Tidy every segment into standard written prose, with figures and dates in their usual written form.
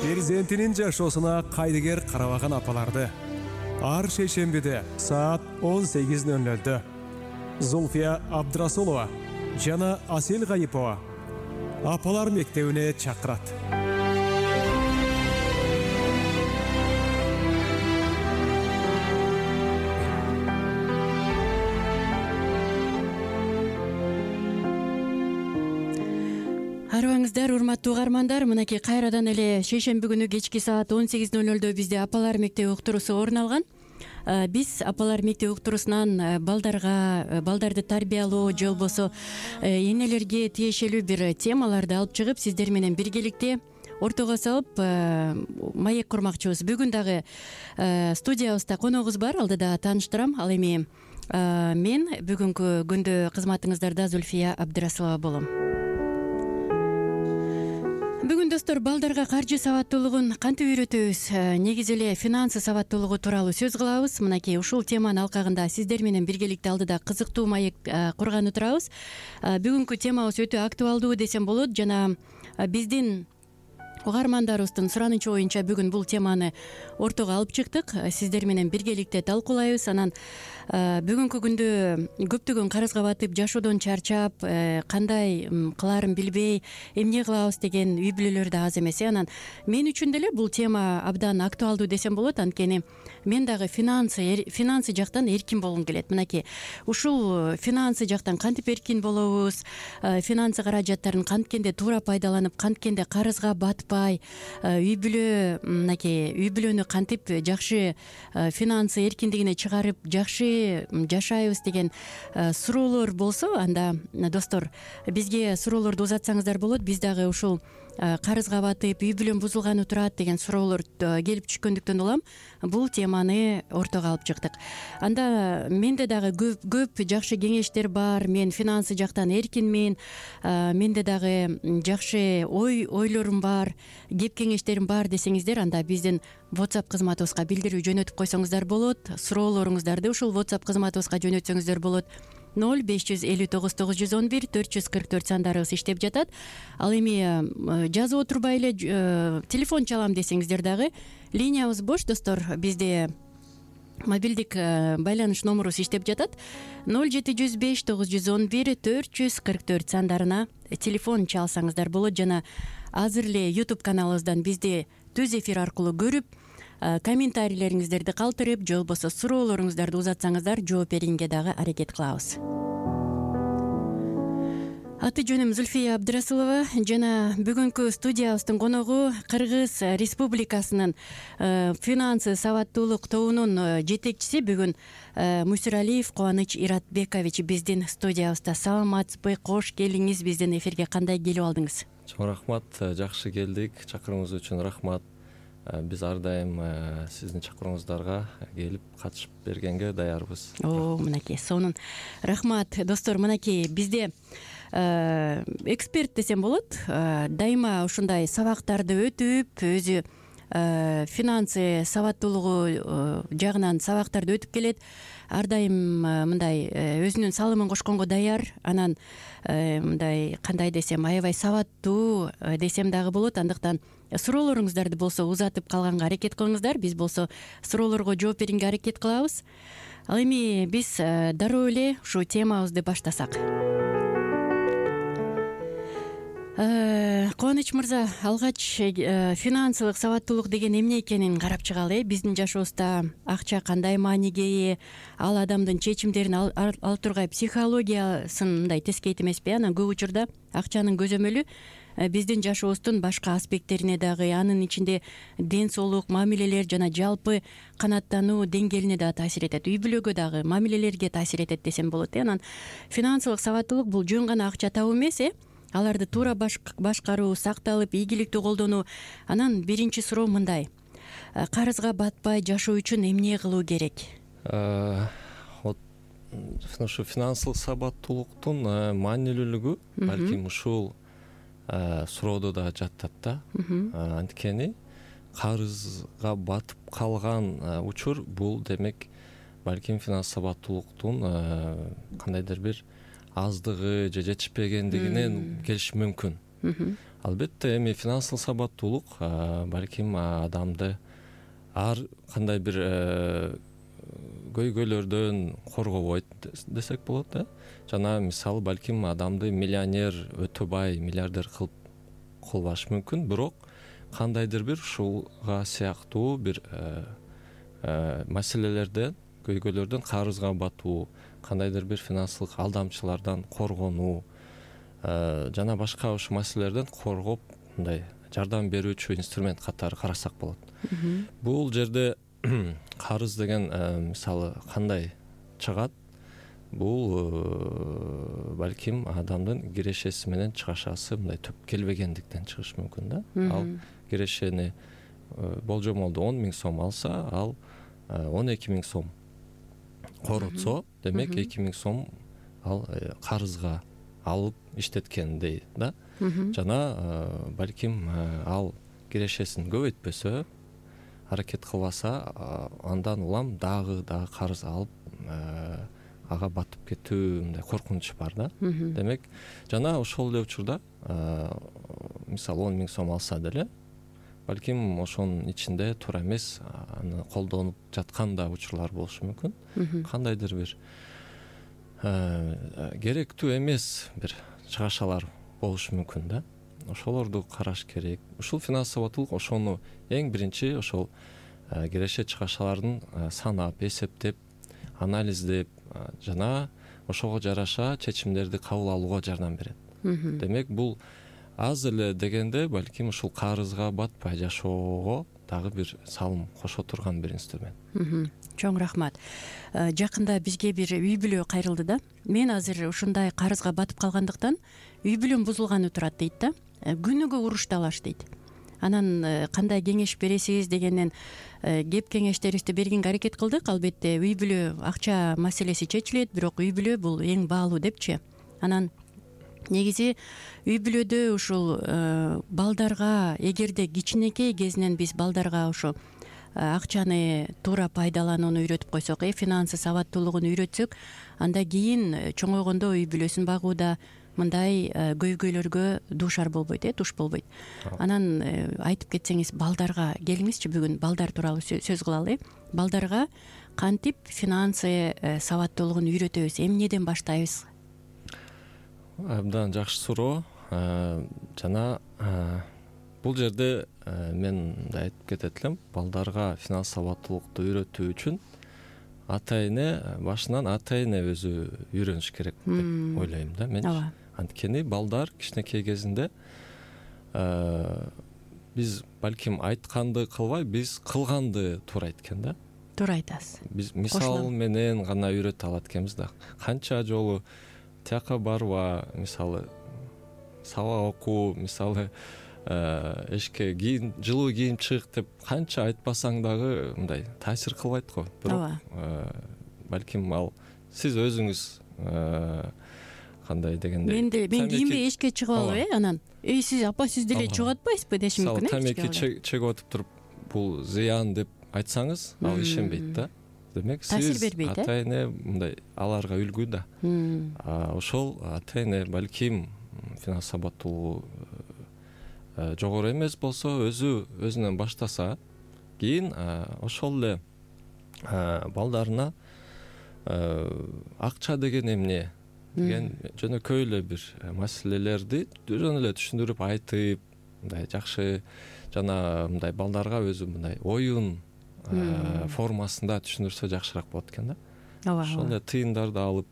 перзентинин жашоосуна кайдыгер карабаган апаларды ар шейшембиде саат 18:00 Зульфия Абдрасулова жана Асел Гайипова апалар мектебине чакырат. Арыбаңыздар, урматтуу угармандар, мынакей кайрадан эле шейшемби күнү кечки саат 18:00 бизде апалар мектеби уктуруусу орун алган. Биз апалар мектеби уктуруусунан балдарды тарбиялоо же болбосо энелерге тиешелүү бир темаларды алып чыгып, сиздер менен биргеликте ортого салып маек курмакчыбыз. Бүгүн дагы студиябызда коногубуз бар, алдыда тааныштырам. Ал эми мен бүгүнкү күндө кызматыңыздарда Зульфия Абдрасулова болом. Бүгүн достор, балдарга каржы сабаттуулугун кантип үйрөтөбүз? Негизи эле финансы сабаттуулугу тууралуу сөз кылабыз. Мынакей ушул теманын алкагында сиздер менен биргеликте алдыда кызыктуу маек курганы турабыз. Бүгүнкү темабыз өтө актуалдуу десем болот жана биздин угармандарыбыздын суранычы боюнча бүгүн бул теманы ортого алып чыктык. Сиздер менен биргеликте талкуулайбыз. Анан бүгүнкү күндө көптөгөн карызга батып, жашоодон чарчап, кандай кылаарын билбей, эмне кылабыз деген үй бүлөлөр да аз эмес. Анан мен үчүн деле бул тема абдан актуалдуу десем болот. Анткени мен дагы финансы жактан эркин болгум келет. Мынакей ушул финансы жактан кантип эркин болобуз, финансы каражаттарын канткенде туура пайдаланып, канткенде карызга батпай, үй бүлөнү кантип жакшы финансы эркиндигине чыгарып, жакшы жашайбыз деген суроолор болсо, анда достор бизге суроолорду узатсаңыздар болот. Биз дагы ушул карызга батып, үй бүлөм бузулганы турат деген суроолор келип түшкөндүктөн улам бул теманы ортого алып чыктык. Анда менде дагы көп жакшы кеңештер бар. Мен финансы жактан эркинмин. Менде дагы жакшы ойлорум бар, кеп кеңештерим бар десеңиздер, анда биздин WhatsApp кызматыбызга билдирүү жөнөтүп койсоңуздар болот. Суроолоруңуздарды ушул WhatsApp кызматыбызга жөнөтсөңүздөр болот. 0559 911 444 сандарыбыз иштеп жатат. Ал эми жазып отурбай эле телефон чалам десеңиздер дагы линиябыз бош достор. Бизде мобилдик байланыш номерубуз иштеп жатат. 0705 911 444 сандарына телефон чалсаңыздар болот. Жана азыр эле YouTube каналыбыздан бизди түз эфир аркылуу көрүп, комментарийлериңиздерди калтырып, же болбосо суроолоруңуздарды узатсаңыздар жооп берүүгө дагы аракет кылабыз. Аты жөнүм Зульфия Абдрасулова жана бүгүнкү студиябыздын коногу Кыргыз Республикасынын финансы сабаттуулук тобунун жетекчиси бүгүн Мусиралиев Кубаныч Иратбекович биздин студиябызда. Саламатсызбы? Кош келиңиз биздин эфирге. Кандай келип алдыңыз? Чоң рахмат, жакшы келдик. Чакырууңуз үчүн рахмат. Биз ар дайым сиздин чакырууңуздарга келип катышып бергенге даярбыз. Мынакей сонун рахмат. Достор, мынакей бизде эксперт десем болот. Дайыма ушундай сабактарды өтүп, өзү финансы сабаттуулугу жагынан сабактарды өтүп келет. Ар дайым мындай өзүнүн салымын кошконго даяр. Анан мындай кандай десем, аябай сабаттуу десем дагы болот. Андыктан суроолоруңуздарды болсо узатып калганга аракет кылыңыздар. Биз болсо суроолорго жооп берүүгө аракет кылабыз. Ал эми биз дароо эле ушу темабызды баштасак. Кубаныч мырза, алгач финансылык сабаттуулук деген эмне экенин карап чыгалы. Биздин жашообузда акча кандай мааниге ээ, ал адамдын чечимдерин алып тургай психологиясын мындай тескейт эмеспи? Анан көп учурда акчанын көзөмөлү биздин жашообуздун башка аспекттерине дагы, анын ичинде ден соолук, мамилелер жана жалпы канааттануу деңгээлине да таасир этет. Үй бүлөгө дагы, мамилелерге таасир этет десем болот. Анан финансылык сабаттуулук бул жөн гана акча табуу эмес, аларды туура башкаруу, сакталып, ийгиликтүү колдонуу. Анан биринчи суроо мындай: карызга батпай жашоо үчүн эмне кылуу керек? Ушу финансылык сабаттуулуктун маанилүүлүгү балким ушул суроодо да жатат да. Анткени карызга батып калган учур бул демек балким финанс сабаттуулуктун кандайдыр бир аздыгы же жетишпегендигинен келиши мүмкүн. Албетте эми финансылык сабаттуулук балким адамды ар кандай бир көйгөйлөрдөн коргобойт десек болот да. Жана мисалы балким адамды миллионер, өтө бай, миллиардер кылбашы мүмкүн, бирок кандайдыр бир ушуга сыяктуу бир маселелерден, көйгөйлөрдөн, карызга батуу, кандайдыр бир финансылык алдамчылардан коргонуу жана башка ушул маселелерден коргоп мындай жардам берүүчү инструмент катары карасак болот. Бул жерде карыз деген мисалы кандай чыгат? Бул балким адамдын кирешеси менен чыгашасы мындай түп келбегендиктен чыгышы мүмкүн да. Ал кирешени болжомолду 10 000 сом алса, ал 12 000 сом коротсо, демек 2 000 сом ал карызга алып иштеткендей да. Жана балким ал кирешесин көбөйтпөсө, аракет кылбаса, андан улам дагы карыз алып ага батып кетүү мындай коркунуч бар да. Демек, жана ошол эле учурда мисалы 10 000 сом алса деле, балким ошонун ичинде туура эмес аны колдонуп жаткан да учурлар болушу мүмкүн. Кандайдыр бир керектүү эмес бир чыгашалар болушу мүмкүн да. Ошолорду караш керек. Ушул финанс сабаттуулук ошону эң биринчи ошол киреше чыгашалардын санап, эсептеп, анализдеп жана ошого жараша чечимдерди кабыл алууга жардам берет. Демек, бул аз эле дегенде балким ушул карызга батпай жашоого дагы бир салым кошо турган бир инструмент. Чоң рахмат. Жакында бизге бир үй бүлө кайрылды да. Мен азыр ушундай карызга батып калгандыктан үй бүлөм бузулганы турат дейт да. Күнүгө урушталаш дейт. Анан кандай кеңеш бересиз дегенден кеп кеңештерибизди бергенге аракет кылдык. Албетте үй бүлө акча маселеси чечилет, бирок үй бүлө бул эң баалуу депчи. Анан негизи үй бүлөдө ушул балдарга, эгерде кичинекей кезинен биз балдарга ушу акчаны туура пайдаланууну үйрөтүп койсок, финансы сабаттуулугун үйрөтсөк, анда кийин чоңойгондо үй бүлөсүн багууда мындай көйгөйлөргө дуушар болбойт, туш болбойт. Анан айтып кетсеңиз, балдарга келиңизчи, бүгүн балдар тууралуу сөз кылалы. Балдарга кантип финансы сабаттуулугун үйрөтөбүз, эмнеден баштайбыз? Абдан жакшы суроо. Жана бул жерде мен да айтып кетет элем, балдарга финанс сабаттуулукту үйрөтүү үчүн ата-эне башынан ата-эне өзү үйрөнүш керек деп ойлойм да мен. Анткени балдар кичинекей кезинде биз балким айтканды кылбай, биз кылганды туура айткен да. Туура айтасыз. Биз мисал менен гана үйрөтө алат экенбиз да. Канча жолу тияка барба, мисалы сабак окуу, мисалы эшикке жылуу кийим чык деп канча айтпасаң дагы мындай таасир кылбайт го. Бирок балким ал сиз өзүңүз кандай дегенде мен кийинби эшикке чыгып алып, анан сиз апа сиз деле чыгып атпайсызбы дешим мүмкүн. Тамеки чегип отуп туруп бул зыян деп айтсаңыз, ал ишенбейт да. Демек, сиз ата-эне мындай аларга үлгү да. Ошол ата-эне балким финанс сабаттуулугу жогору эмес болсо, өзүнөн баштаса, кийин ошол эле балдарына акча деген эмне деген жөнөкөй эле бир маселелерди жөн эле түшүндүрүп айтып, мындай жакшы жана мындай балдарга өзү мындай оюн формасында түшүндүрсө жакшыраак болот экен да. Ошол эле тыйындарды алып,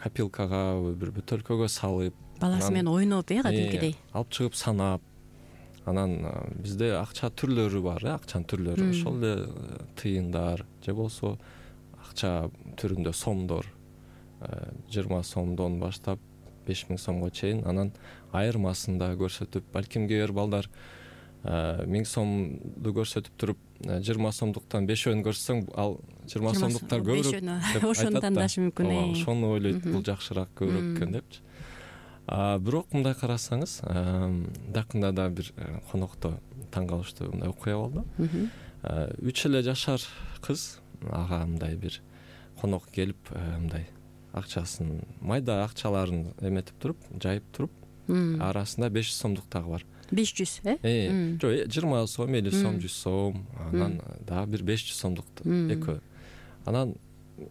копилкага, бир бөтөлкөгө салып, баласы менен ойноп, кадимкидей алып чыгып санап, анан бизде акча түрлөрү бар, акчанын түрлөрү. Ошол эле тыйындар же болсо акча түрүндө сомдор, 20 сомдон баштап 5000 сомго чейин, анан айырмасын да көрсөтүп, балким кээ бир балдар 1000 сомду көрсөтүп туруп 20 сомдуктан 5-өн көрсөң, ал 20 сомдуктар көбүрөөк деп айтат. Ошону тандашы мүмкүн. Ошону ойлойт, бул жакшыраак көбүрөөк экен депчи. Бирок мындай карасаңыз, жакында да бир конокто таң калыштуу мындай окуя болду. 3 эле жашар кыз ага мындай бир конок келип, мындай акчасын, майда акчаларын эметип туруп, жайып туруп, арасында 500 сомдук дагы бар. 500 жок 20 сом 50 сом 100 сом анан дагы бир 500 сомдук экөө. Анан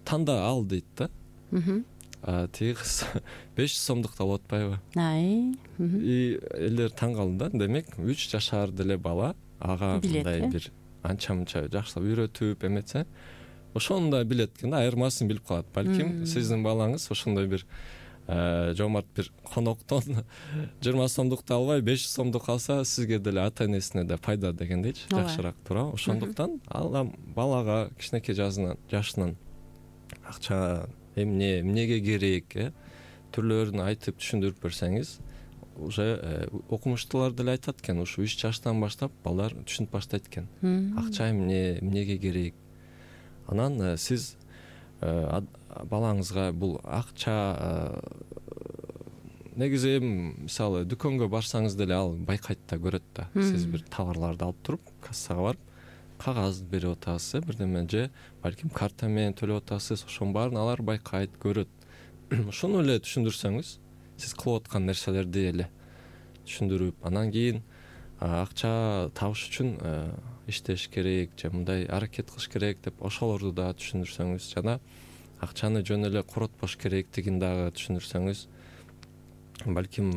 танда ал дейт да. Тиги кыз 500 сомдукту алып атпайбы? Элдер таң калды да. Демек 3 жашар деле бала ага мындай бир анча-мынча жакшылап үйрөтүп эметсе, ошону да билет экен да, айырмасын билип калат. Балким сиздин балаңыз ошондой бир жомарт бир коноктон 20 сомдукту албай 500 сомдук алса, сизге деле ата-энесине да пайда дегендейчи, жакшыраак туурабы? Ошондуктан ал балага кичинекей жашынан акча эмнеге керек, түрлөрүн айтып түшүндүрүп берсеңиз, уже окумуштуулар деле айтат экен, ушу 3 жаштан баштап балдар түшүнүп баштайт экен. Акча эмнеге керек. Анан сиз балаңызга бул акча негизи мисалы дүкөнгө барсаңыз деле ал байкайт да, көрөт да. Сиз бир товарларды алып туруп, кассага барып, кагаз берип атасыз, бирдеме же балким карта менен төлөп атасыз, ошонун баарын алар байкайт, көрөт. Ошону эле түшүндүрсөңүз, сиз кылып аткан нерселерди эле түшүндүрүп, анан кийин акча табыш үчүн иштеш керек же мындай аракет кылыш керек деп ошолорду да түшүндүрсөңүз, жана акчаны жөн эле коротпош керектигин дагы түшүндүрсөңүз, балким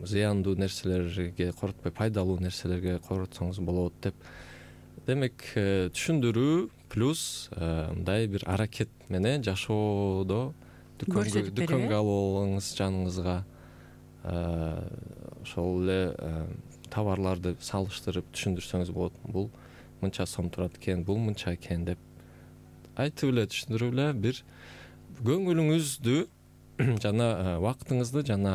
зыяндуу нерселерге коротпой пайдалуу нерселерге коротсоңуз болот деп. Демек түшүндүрүү плюс мындай бир аракет менен жашоодо дүкөнгө алып алыңыз жаныңызга, ошол эле товарларды салыштырып түшүндүрсөңүз болот. Бул мынча сом турат экен, бул мынча экен деп айтып эле түшүндүрүп эле бир көңүлүңүздү жана убактыңызды жана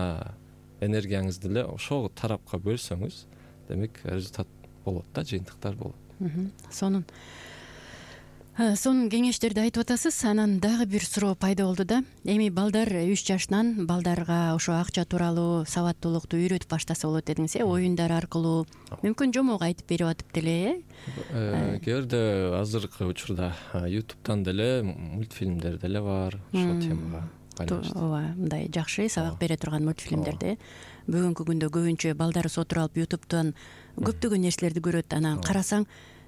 энергияңызды эле ошол тарапка бөлсөңүз, демек результат болот да, жыйынтыктар болот. Сонун кеңештерди айтып атасыз. Анан дагы бир суроо пайда болду да. Эми балдар 3 жашынан балдарга ошо акча тууралуу сабаттуулукту үйрөтүп баштаса болот дедиңиз, оюндар аркылуу, мүмкүн жомок айтып берип атып деле, Кээде азыркы учурда YouTube'дан деле мультфильмдер деле бар ошол темага байланыштуу. Ооба, мындай жакшы сабак бере турган мультфильмдерди. Бүгүнкү күндө көбүнчө балдарыбыз отуруп алып YouTube'дан көптөгөн нерселерди көрөт. Анан карасаң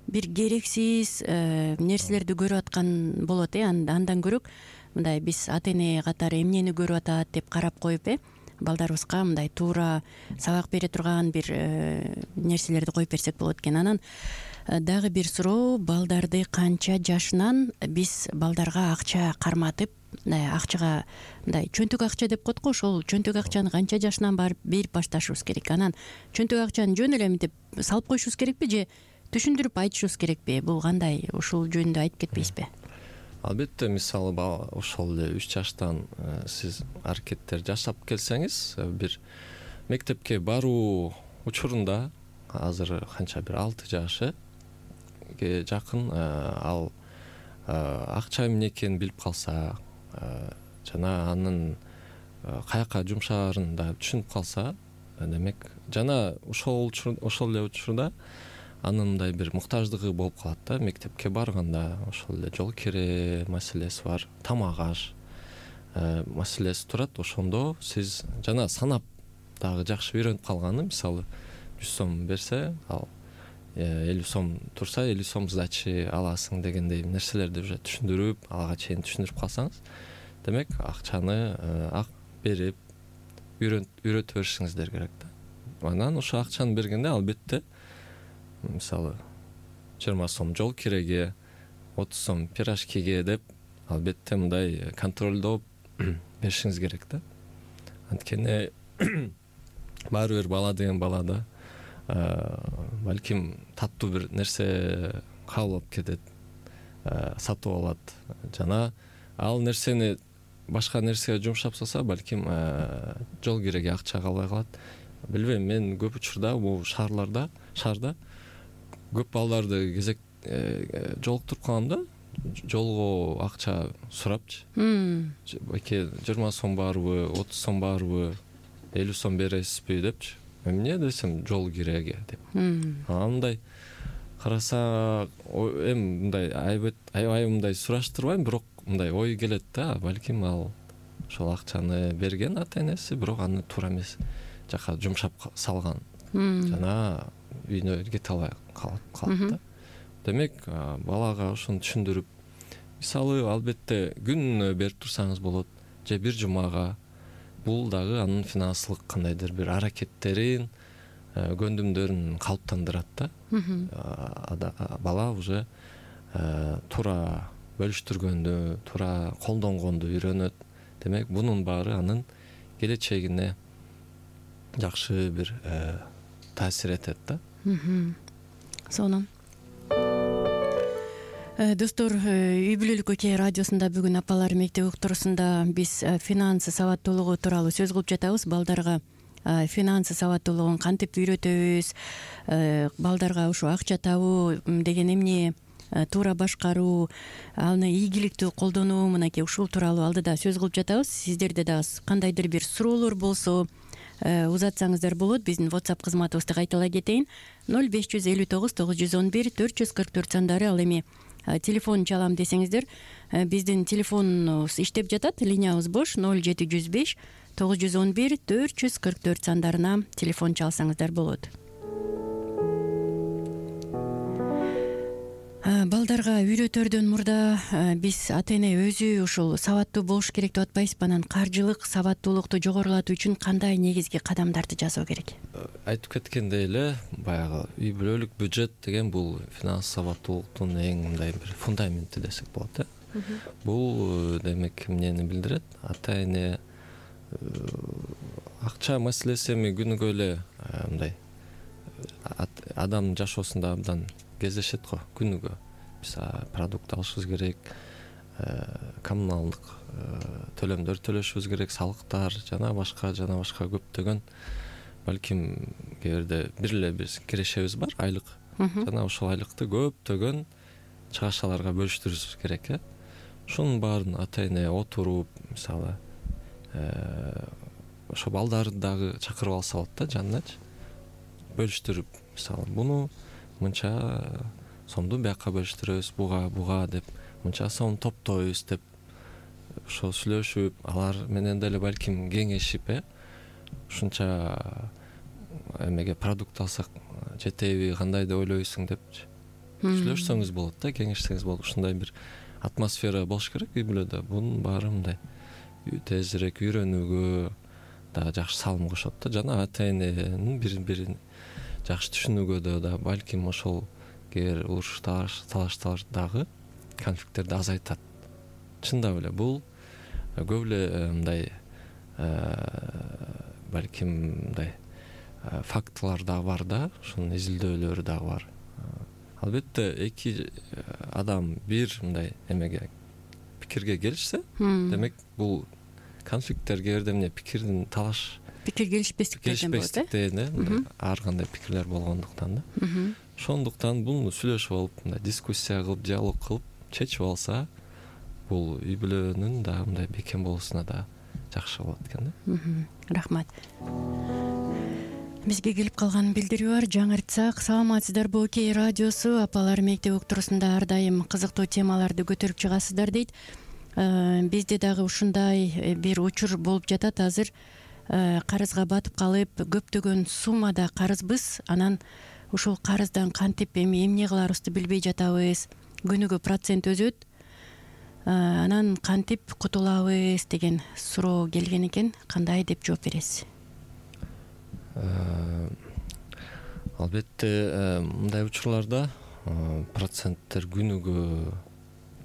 бир керексиз нерселерди көрүп аткан болот. Андан көрөк мындай биз ата-эне катары эмнени көрүп атат деп карап коюп, балдарыбызга мындай туура сабак бере турган бир нерселерди коюп берсек болот экен. Анан дагы бир суроо, балдарды канча жашынан биз балдарга акча карматып, акчага мындай чөнтөк акча деп коет го, ошол чөнтөк акчаны канча жашынан барып берип башташыбыз керек? Анан чөнтөк акчаны жөн эле мынтип салып коюшубуз керекпи же түшүндүрүп айтышыбыз керекпи? Бул кандай? Ушул жөнүндө айтып кетпейсизби? Албетте, мисалы ошол эле 3 жаштан сиз аракеттер жашап келсеңиз, бир мектепке баруу учурунда азыр канча бир 6 жашыга жакын ал акча эмне экенин билип калса, жана анын каяка жумшаарын да түшүнүп калса, демек жана ошол эле учурда анын мындай бир муктаждыгы болуп калат да. Мектепке барганда ошол эле жол кире маселеси бар, тамак аш маселеси турат. Ошондо сиз жана санап дагы жакшы үйрөнүп калганы, мисалы 100 сом берсе, ал 50 сом турса 50 сом сдачи аласың дегендей нерселерди уже түшүндүрүп, ага чейин түшүндүрүп калсаңыз, демек акчаны берип үйрөтө беришиңиздер керек да. Анан ошо акчаны бергенде албетте мисалы 20 сом жол киреге, 30 сом пирожкиге деп албетте мындай контролдоп беришиңиз керек да. Анткени баары бир бала деген балада балким таттуу бир нерсе кабыл алып кетет, сатып алат, жана ал нерсени башка нерсеге жумшап салса, балким жол киреге акча калбай калат. Билбейм, мен көп учурда бул шаарда көп балдарды кезек жолуктуруп калам да, жолго акча сурапчы. Байке 20 сом барбы, 30 сом барбы, 50 сом бересизби депчи. Эмне десем, жол киреге деп. Мындай караса эми мындай аябай мындай сураштырбайм, бирок мындай ой келет да, балким ал ошол акчаны берген ата-энеси, бирок аны туура эмес жака жумшап салган жана үйүнө кете албай калат да. Демек балага ошону түшүндүрүп, мисалы албетте күнүнө берип турсаңыз болот, же бир жумага, бул дагы анын финансылык кандайдыр бир аракеттерин, көндүмдөрүн калыптандырат да. Бала уже туура бөлүштүргөндү, туура колдонгонду үйрөнөт. Демек бунун баары анын келечегине жакшы бир таасир этет да. Сонун. Достор, үй бүлөлүк окей радиосунда бүгүн апалар мектеп уктуруусунда биз финансы сабаттуулугу тууралуу сөз кылып жатабыз. Балдарга финансы сабаттуулугун кантип үйрөтөбүз, балдарга ушу акча табуу деген эмне, туура башкаруу, аны ийгиликтүү колдонуу, мынакей ушул тууралуу алдыда сөз кылып жатабыз. Сиздерде дагы кандайдыр бир суроолор болсо узатсаңыздар болот. Биздин WhatsApp кызматыбызды кайталай кетейин: 0559 911 444 сандары. Ал эми телефон чалам десеңиздер, биздин телефонубуз иштеп жатат, линиябыз бош. 0705 911 444 сандарына телефон чалсаңыздар болот. Балдарга үйрөтөрдөн мурда биз ата-эне өзү ушул сабаттуу болуш керек деп атпайсызбы? Анан каржылык сабаттуулукту жогорулатуу үчүн кандай негизги кадамдарды жасоо керек? Айтып кеткендей эле, баягы үй бүлөлүк бюджет деген бул финанс сабаттуулуктун эң мындай бир фундаменти десек болот. Бул демек эмнени билдирет? Ата-эне акча маселеси эми күнүгө эле мындай адамдын жашоосунда абдан кездешет го. Күнүгө биз продукт алышыбыз керек, коммуналдык төлөмдөр төлөшүбүз керек, салыктар жана башка көптөгөн, балким кээ бирде бир эле биз кирешебиз бар, айлык. Жана ошол айлыкты көптөгөн чыгашаларга бөлүштүрүшүбүз керек. Ушунун баарын ата-эне отуруп, мисалы ошо балдарды дагы чакырып алса болот да, жаныначы бөлүштүрүп, мисалы буну мынча сомду бияка бөлүштүрөбүз, буга деп, мынча сом топтойбуз деп ошо сүйлөшүп, алар менен деле балким кеңешип, ушунча эмеге продукт алсак жетеби, кандай деп ойлойсуң деп сүйлөшсөңүз болот да, кеңешсеңиз болот. Ушундай бир атмосфера болуш керек үй бүлөдө. Бунун баары мындай тезирээк үйрөнүүгө дагы жакшы салым кошот да, жана ата-эненин бири-бирин жакшы түшүнүүгө да балким ошол кээ уруш талаштардагы конфликттерди азайтат. Чындап эле бул көп эле мындай балким мындай фактылар дагы бар да, ушунун изилдөөлөрү дагы бар. Албетте эки адам бир мындай эмеге пикирге келишсе, демек бул конфликттер кээ бирде эмне пикирдин талаш, пикир келишпестиктен ар кандай пикирлер болгондуктан да. Ошондуктан буну сүйлөшүп алып, мындай дискуссия кылып, диалог кылып чечип алса, бул үй бүлөнүн дагы мындай бекем болуусуна да жакшы болот экен да. Рахмат. Бизге келип калган билдирүү бар. Жаңыртсак, саламатсыздарбы окей радиосу, апалар мектеп уктуруусунда ар дайым кызыктуу темаларды көтөрүп чыгасыздар дейт. Бизде дагы ушундай бир учур болуп жатат азыр. Карызга батып калып, көптөгөн суммада карызбыз. Анан ушул карыздан кантип эмне кыларыбызды билбей жатабыз. Күнүгө процент өзөт. Анан кантип кутулабыз деген суроо келген экен. Кандай деп жооп бересиз? Албетте мындай учурларда проценттер күнүгө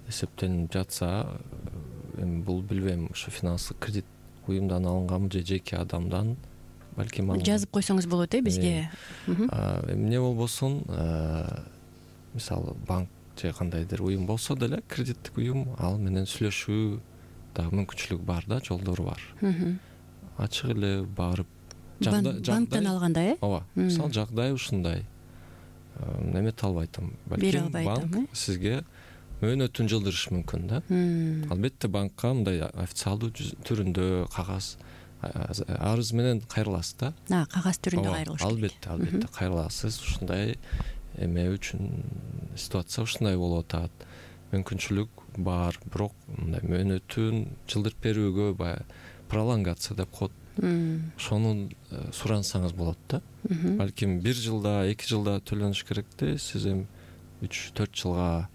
эсептелип жатса, эми бул билбейм, ушу финанстык кредит уюмдан алынганбы же жеке адамдан, балким жазып койсоңуз болот бизге. Эмне болбосун, мисалы банк же кандайдыр уюм болсо деле, кредиттик уюм, ал менен сүйлөшүү дагы мүмкүнчүлүк бар да, жолдору бар. Ачык эле барып банктан алганда, ооба, мисалы жагдай ушундай, эмете албайтам, балким банк сизге мөөнөтүн жылдырышы мүмкүн да. Албетте банкка мындай официалдуу түрүндө кагаз арыз менен кайрыласыз да. Кагаз түрүндө кайрылыш керек. Албетте кайрыласыз. Ушундай эме үчүн ситуация ушундай болуп атат. Мүмкүнчүлүк бар, бирок мындай мөөнөтүн жылдырып берүүгө баягы пролонгация деп коет. ошону сурансаңыз болот да. Балким 1 жылда 2 жылда төлөнүш керекти, сиз эми 3-4 жылга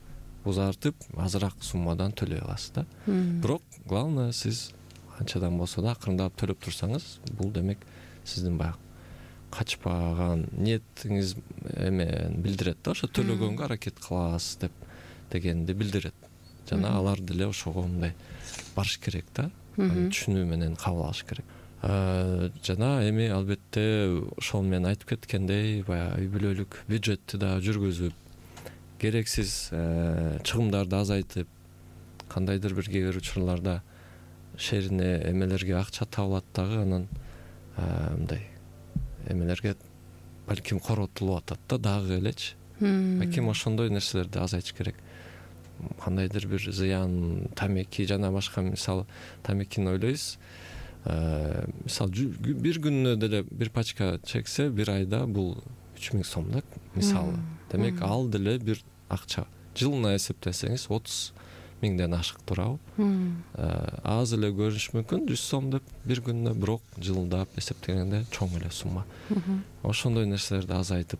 узартып азыраак суммадан төлөй аласыз да. Бирок главное сиз канчадан болсо да акырындап төлөп турсаңыз, бул демек сиздин баягы качпаган ниетиңиз эмен билдирет да, ошо төлөгөнгө аракет кыласыз дегенди билдирет. Жана алар деле ошого мындай барыш керек да, түшүнүү менен кабыл алыш керек. Жана эми албетте ошол менен айтып кеткендей, баягы үй бүлөлүк бюджетти да жүргүзүп, керексиз чыгымдарды азайтып, кандайдыр бир кээ бир учурларда шерине эмелерге акча табылат дагы, анан мындай эмелерге балким коротулуп атат да дагы элечи. Балким ошондой нерселерди азайтыш керек. Кандайдыр бир зыян, тамеки жана башка, мисалы тамекини ойлойсуз, мисалы бир күнүнө деле бир пачка чексе, бир айда бул 3000 сом да, мисалы. Демек ал деле бир акча. Жылына эсептесеңиз 30 миңден ашык турабы? Аз эле көрүнүшү мүмкүн 100 сом деп бир күнүнө, бирок жылдап эсептегенде чоң эле сумма. Ошондой нерселерди азайтып,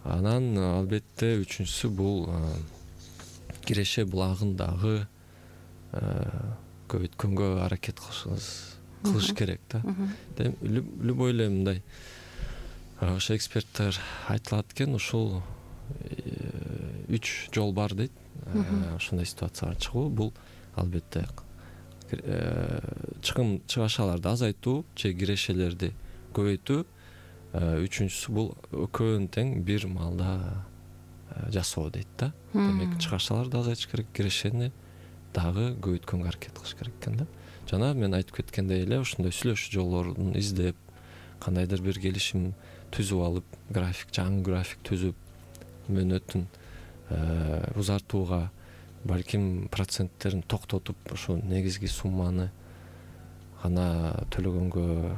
анан албетте үчүнчүсү бул киреше булагын дагы көбөйткөнгө аракет кылыш керек да. Любой эле мындай ошо эксперттер айтылат экен, ушул 3 жол бар дейт. Ошондой ситуациялар чыгуу, бул албетте чыгашаларды азайтуу же кирешелерди көбөйтүү. Үчүнчүсү бул экөөнүн тең бир маалда жасоо дейт да. Демек чыгашаларды азайтыш керек, кирешени дагы көбөйткөнгө аракет кылыш керек экен да. Жана мен айтып кеткендей эле ошондой сүйлөшүү жолдорун издеп, кандайдыр бир келишим түзүп алып, жаңы график түзүп, мөөнөтүн узартууга, балким проценттерин токтотуп, ошо негизги сумманы гана төлөгөнгө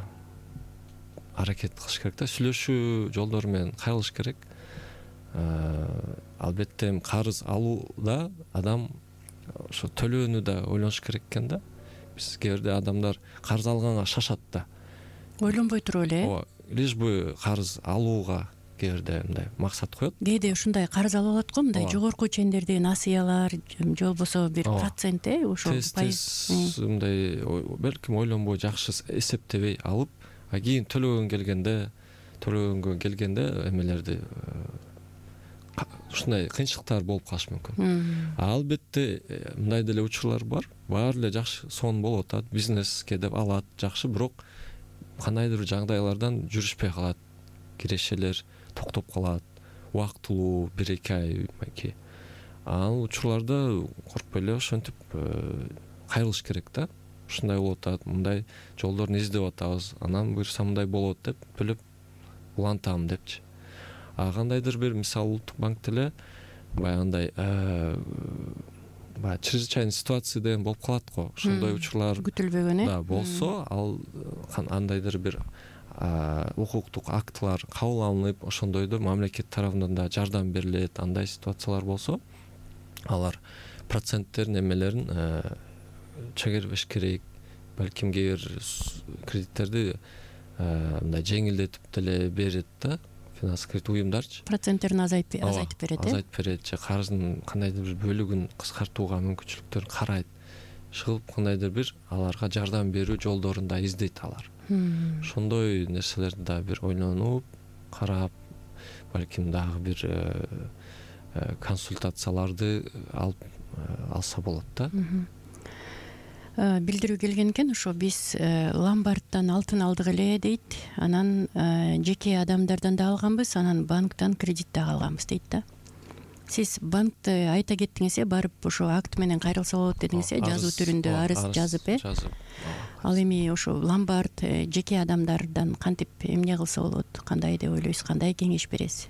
аракет кылыш керек да. Сүйлөшүү жолдору менен кайрылыш керек. Албетте карыз алууда адам ошо төлөөнү да ойлонуш керек экен да. Биз кээ бирде адамдар карыз алганга шашат да. Ойлонбой туруп эле. Ооба, лишь бы карыз алууга кээ бирде мындай максат коет. Кээде ушундай карыз алып алат го, мындай жогорку чендерди насыялар, же болбосо бир процент, ошо пайыз мындай балким ойлонбой жакшы эсептебей алып, кийин төлөгөнгө келгенде эмелерди ушундай кыйынчылыктар болуп калышы мүмкүн. Албетте мындай деле учурлар бар. Баары эле жакшы сон болуп атат, бизнеске деп алат, жакшы, бирок кандайдыр бир жагдайлардан жүрүшпөй калат. Кирешелер токтоп калат, убактылуу 1-2 ай майки. Ал учурларда коркпой эле ошентип кайрылыш керек да. Ушундай болуп атат, мындай жолдорун издеп атабыз, анан буюрса мындай болот деп билип улантам депчи. Кандайдыр бир, мисалы, Улуттук банк деле баягындай баягы чрезвычайный ситуация деген болуп калат го. Ошондой учурлар күтүлбөгөн да болсо, ал кандайдыр бир укуктук актылар кабыл алынып, ошондойдо мамлекет тарабынан да жардам берилет. Андай ситуациялар болсо, алар проценттерин эмелерин чегербеш керек. Балким кээ бир кредиттерди мындай жеңилдетип деле берет да. Финанс кредит уюмдарчы проценттерин азайтып берет. Азайтып берет же карыздын кандайдыр бир бөлүгүн кыскартууга мүмкүнчүлүктөрүн карайт. Чыгып кандайдыр бир аларга жардам берүү жолдорун да издейт алар. Ошондой нерселерди да бир ойлонуп, карап, балким дагы бир консультацияларды алып алса болот да. Билдирүү келген экен, ошо биз ломбардтан алтын алдык эле дейт, анан жеке адамдардан да алганбыз, анан банктан кредит да алганбыз дейт да. Сиз банкты айта кеттиңиз, барып ошо акт менен кайрылса болот дедиңиз, жазуу түрүндө арыз жазып, Ал эми ошо ломбард жеке адамдардан кантип эмне кылса болот, кандай деп ойлойсуз, кандай кеңеш бересиз?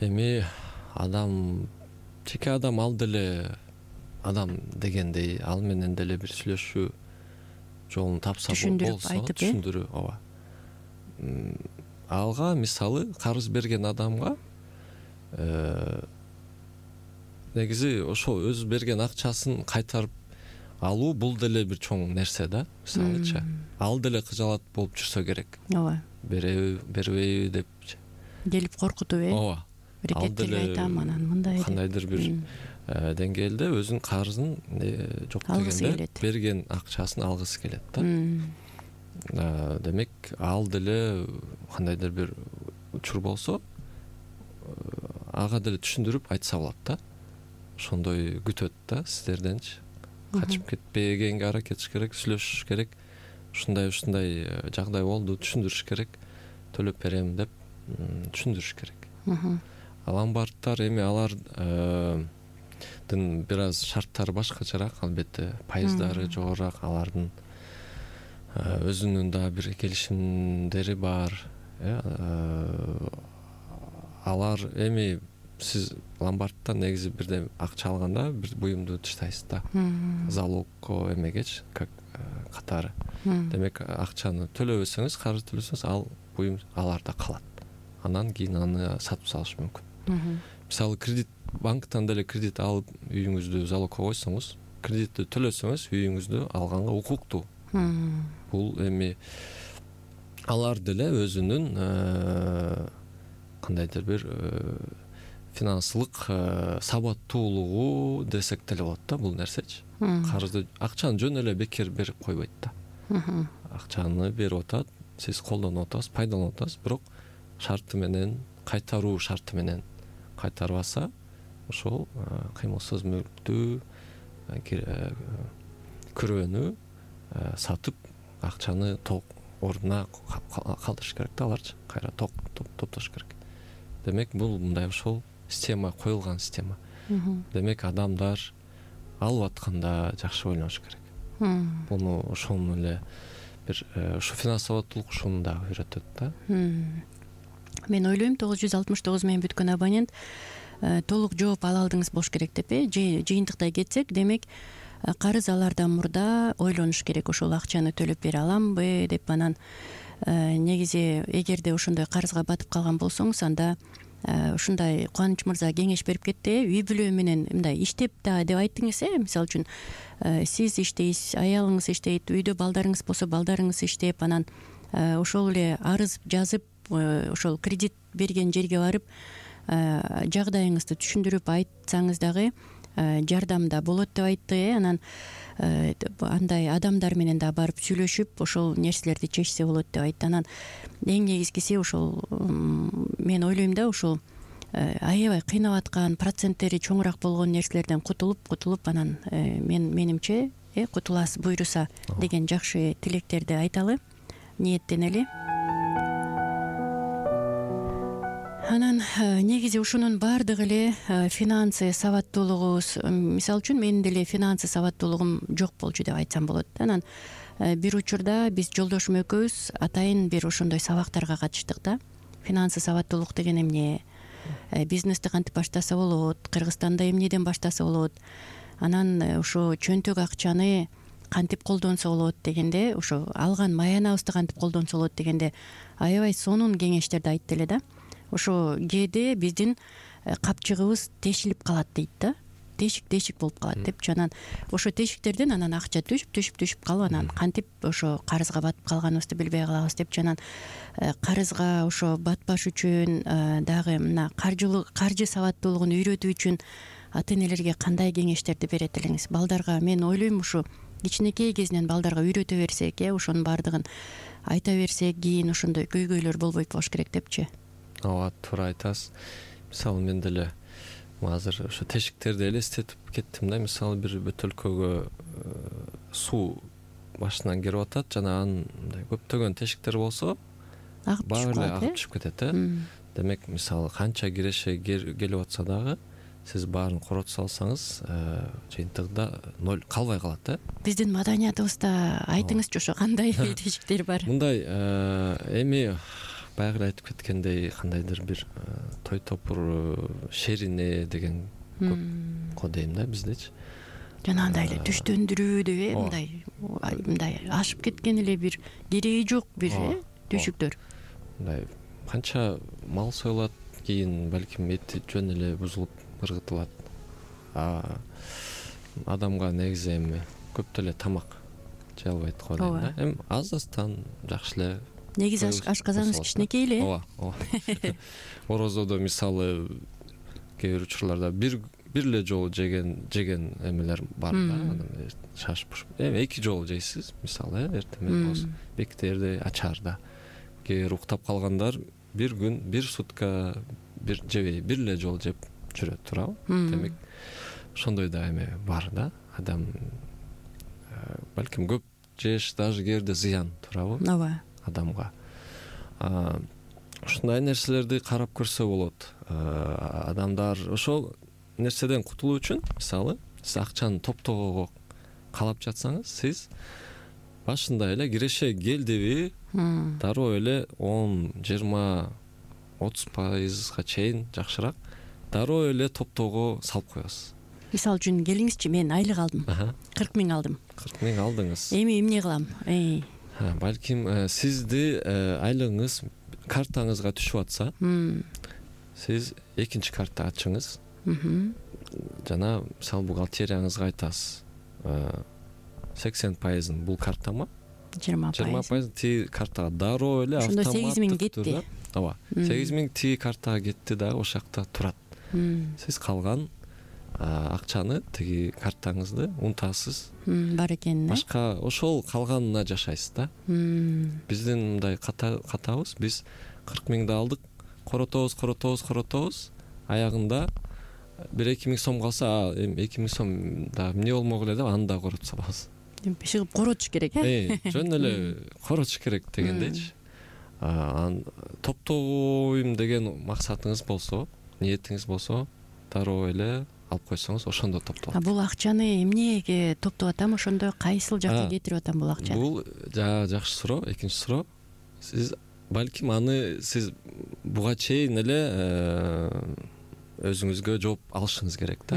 Эми жеке адам ал деле адам дегендей, ал менен деле бир сүйлөшүү жолун тапса болсо, түшүндүрүп, ооба. Алга мисалы карыз берген адамга негизи ошол өз берген акчасын кайтарып алуу бул деле бир чоң нерсе да. Мисалычы ал деле кыжалат болуп жүрсө керек. Ооба. Бербейби депчи. Келип коркутуп Ооба. Рекеттерге айтам, анан мындай кандайдыр бир деңгээлде өзүнүн карызын жок дегенде берген акчасын алгысы келет да. Демек ал деле кандайдыр бир учур болсо ага деле түшүндүрүп айтса болот да. Ошондой күтөт да сиздерденчи. Качып кетпегенге аракет этиш керек, сүйлөшүш керек. Ушундай жагдай болду, түшүндүрүш керек. Төлөп берем деп түшүндүрүш керек. Ломбардтар эми алардын бир аз шарттары башкачараак, албетте пайыздары жогорураак, алардын өзүнүн да бир келишимдери бар. Алар эми сиз ломбардтан негизи бирден акча алганда бир буюмду таштайсыз да. Залогко эмегечи катары. Демек акчаны төлөбөсөңүз, карыз төлөсөңүз, ал буюм аларда калат. Анан кийин аны сатып салыш мүмкүн. Мисалы банктан деле кредит алып үйүңүздү залогко койсоңуз, кредитти төлөсөңүз, үйүңүздү алганга укуктуу. Бул эми алар деле өзүнүн кандайдыр бир финансылык сабаттуулугу десек деле болот да бул нерсечи. Карызды, акчаны жөн эле бекер берип койбойт да. Акчаны берип атат, сиз колдонуп атасыз, пайдаланып атасыз, бирок шарты менен, кайтаруу шарты менен кайтарбаса, ошол кыймылсыз мүлктү, күрөөнү сатып акчаны ордуна калтырыш керек да, аларчы кайра топтош керек. Демек бул мындай ошол система коюлган система. Демек адамдар алып атканда жакшы ойлоnuш керек. Буну ошону эле бир ушу финанс сабаттуулук ушуну да үйрөтөт да. Мен ойлойм 969 менен бүткөн абонент толук жооп ала алдыңыз болуш керек деп, жыйынтыктай кетсек, демек карыз алардан мурда ойлонуш керек, ошол акчаны төлөп бере аламбы деп. Анан негизи эгерде ошондой карызга батып калган болсоңуз, анда ушундай Кубаныч мырза кеңеш берип кетти, үй бүлө менен мындай иштеп да деп айттыңыз. Мисалы үчүн сиз иштейсиз, аялыңыз иштейт, үйдө балдарыңыз болсо балдарыңыз иштеп, анан ошол эле арыз жазып, ошол кредит берген жерге барып жагдайыңызды түшүндүрүп айтсаңыз дагы жардам да болот деп айтты. Анан андай адамдар менен да барып сүйлөшүп, ошол нерселерди чечсе болот деп айтты. Анан эң негизгиси ошол, мен ойлойм да, ошол аябай кыйнап аткан, проценттери чоңураак болгон нерселерден кутулуп, анан менимче кутуласыз буйруса деген жакшы тилектерди айталы, ниеттенели. Анан негизи ушунун баардыгы эле финансы сабаттуулугубуз, мисалы үчүн менин деле финансы сабаттуулугум жок болчу деп айтсам болот. Анан бир учурда биз жолдошум экөөбүз атайын бир ошондой сабактарга катыштык да. Финансы сабаттуулук деген эмне, бизнести кантип баштаса болот, Кыргызстанда эмнеден баштаса болот, анан ошо чөнтөк акчаны кантип колдонсо болот дегенде, ошо алган маянабызды кантип колдонсо болот дегенде аябай сонун кеңештерди айтты эле да. Ошо кээде биздин капчыгыбыз тешилип калат дейт да, тешик болуп калат депчи. Анан ошо тешиктерден анан акча түшүп калып, анан кантип ошо карызга батып калганыбызды билбей калабыз депчи. Анан карызга ошо батпаш үчүн дагы мына каржы сабаттуулугун үйрөтүү үчүн ата энелерге кандай кеңештерди берет элеңиз? Балдарга, мен ойлойм, ушу кичинекей кезинен балдарга үйрөтө берсек, ошонун баардыгын айта берсек, кийин ошондой көйгөйлөр болбойт болуш керек депчи. Ооба, туура айтасыз. Мисалы мен деле азыр ошо тешиктерди элестетип кеттим да. Мисалы бир бөтөлкөгө суу башынан кирип атат, жана андай көптөгөн тешиктер болсо баары эле агып түшүп кетет. Демек, мисалы канча киреше келип атса дагы, сиз баарын коротуп салсаңыз, жыйынтыгында ноль калбай калат. Биздин маданиятыбызда айтыңызчы, ошо кандай тешиктер бар? Мындай эми баягы эле айтып кеткендей, кандайдыр бир той топур шерине деген көп дейм да биздечи. Жана андай эле түштөндүрүү деп, мындай ашып кеткен эле бир кереги жок бир түйшүктөр. Мындай канча мал союлат, кийин балким эти жөн эле бузулуп ыргытылат. Адамга негизи эми көп деле тамак жей албайт го дейм да. Эми аздан жакшы эле. Негизи ашказаныңыз кичинекей эле. Ооба. Орозодо мисалы кээ бир учурларда бир эле жолу жеген эмелер бар да. Шашып эми 2 жолу жейсиз мисалы эртең менен болсо бектерде ачаарда. Кээ бир уктап калгандар бир күн бир сутка бир жебей бир эле жолу жеп жүрөт туурабы. Демек ошондой да эме бар да. Адам балким көп жеш даже кээде зыян туурабы ооба адамга. Ушундай нерселерди карап көрсө болот. Адамдар ошол нерседен кутулуу үчүн мисалы сиз акчаны топтоого каалап жатсаңыз, сиз башында эле киреше келдиби дароо эле 10, 20, 30% чейин жакшыраак дароо эле топтоого салып коесуз. Мисалы үчүн келиңизчи, мен айлык алдым. 40 000 алдым. 40 000 алдыңыз. Эми эмне кылам? Балким сизди айлыгыңыз картаңызга түшүп атса, сиз экинчи карта ачыңыз. Жана мисалы бухгалтерияңызга айтасыз. 80% бул картама, 20% тиги картага дароо эле автоматтык. Ошондо 8 000 кетти. Ооба. 8 000 тиги картага кетти да, ошол жакта турат. Сиз калган акчаны тиги картаңызды унутасыз. Бар экен. Башка ошол калганына жашайсыз да. Биздин мындай катабыз, биз 40 000 алдык, коротобуз, аягында 1-2 000 сом калса, эми 2 000 сом да эмне болмок эле деп аны да коротуп салабыз. Чыгып коротуш керек, жөн эле коротуш керек дегендейчи. Топтойм деген максатыңыз болсо, ниетиңиз болсо, дароо эле алып койсоңуз, ошондо топтолот. Бул акчаны эмнеге топтоп атам, ошондо кайсыл жакка кетирип атам бул акчаны? Бул жакшы суроо, экинчи суроо. Сиз балким аны сиз буга чейин эле өзүңүзгө жооп алышыңыз керек да.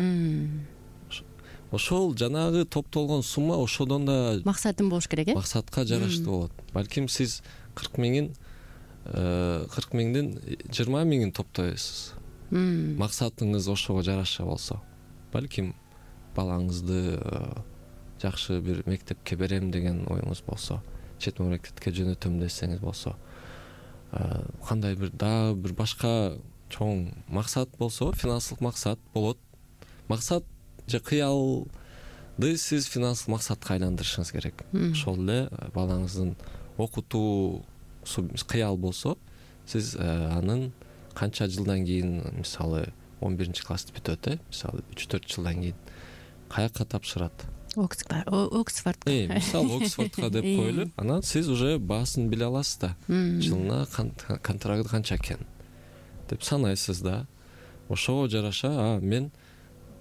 Ошол жанагы топтолгон сумма ошодон да максатым болуш керек, максатка жараштуу болот. Балким сиз 40 000ден 20 000 топтойсуз. Максатыңыз ошого жараша болсо, балким балаңызды жакшы бир мектепке берем деген оюңуз болсо, чет мамлекетке жөнөтөм десеңиз болсо, кандай бир дагы бир башка чоң максат болсо, финансылык максат болот. Максат же кыялды сиз финансылык максатка айландырышыңыз керек. Ошол эле балаңыздын окутуусу кыял болсо, сиз анын канча жылдан кийин, мисалы 11-классты бүтөт, мисалы 3-4 жылдан кийин каяка тапшырат? Оксфордко. Мисалы Оксфордко деп коелу. Анан сиз уже баасын биле аласыз да. Жылына контракты канча экен деп санайсыз да. Ошого жараша, мен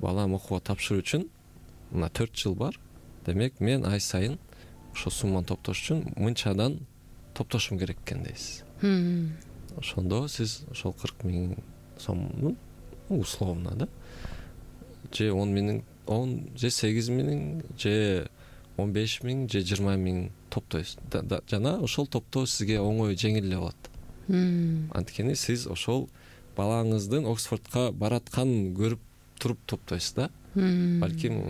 балам окууга тапшыруу үчүн мына 4 жыл бар. Демек мен ай сайын ошол сумманы топтош үчүн мынчадан топтошум керек экен дейсиз. Ошондо сиз ошол 40 000 сомдун условно да, же 10 000, же 8 000, же 15 000, же 20 000 топтойсуз. Жана ошол топтоо сизге оңой, жеңил эле болот. Анткени сиз ошол балаңыздын Оксфордко баратканын көрүп туруп топтойсуз да. Балким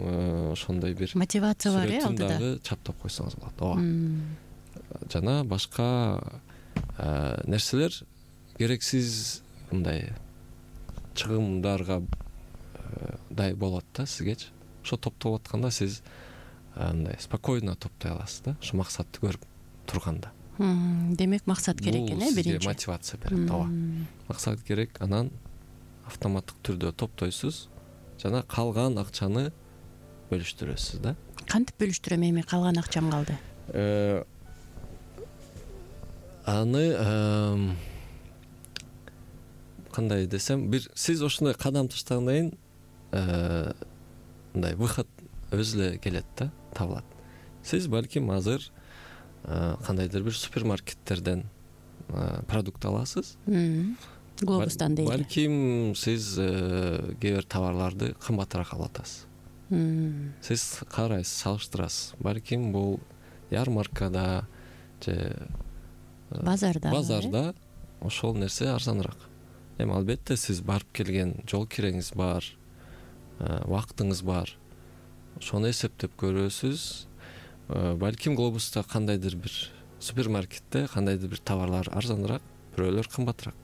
ошондой бир мотивация бар, алдыда. Дагы чаптап койсоңуз болот. Ооба. Жана башка нерселер керексиз мындай чыгымдарга дай болот да сизгечи. Ошо топтоп атканда сиз мындай спокойно топтой аласыз да, ошо максатты көрүп турганда. Демек максат керек экен, биринчи. Сизге мотивация берет. Ооба. Максат керек, анан автоматтык түрдө топтойсуз жана калган акчаны бөлүштүрөсүз да. Кантип бөлүштүрөм, эми калган акчам калды? Аны кандай десем, бир сиз ошондой кадам таштагандан кийин мындай выход өзү эле келет да, табылат. Сиз балким азыр кандайдыр бир супермаркеттерден продукт аласыз. Глобустан дейли. Балким сиз кээ бир товарларды кымбатыраак алып атасыз. Сиз карайсыз, салыштырасыз. Балким бул ярмаркада же базарда ошол нерсе арзаныраак. Эми албетте сиз барып келген жол киреңиз бар, убактыңыз бар. ошону эсептеп көрөсүз. Балким глобуста кандайдыр бир супермаркетте кандайдыр бир товарлар арзаныраак, бирөөлөр кымбатыраак,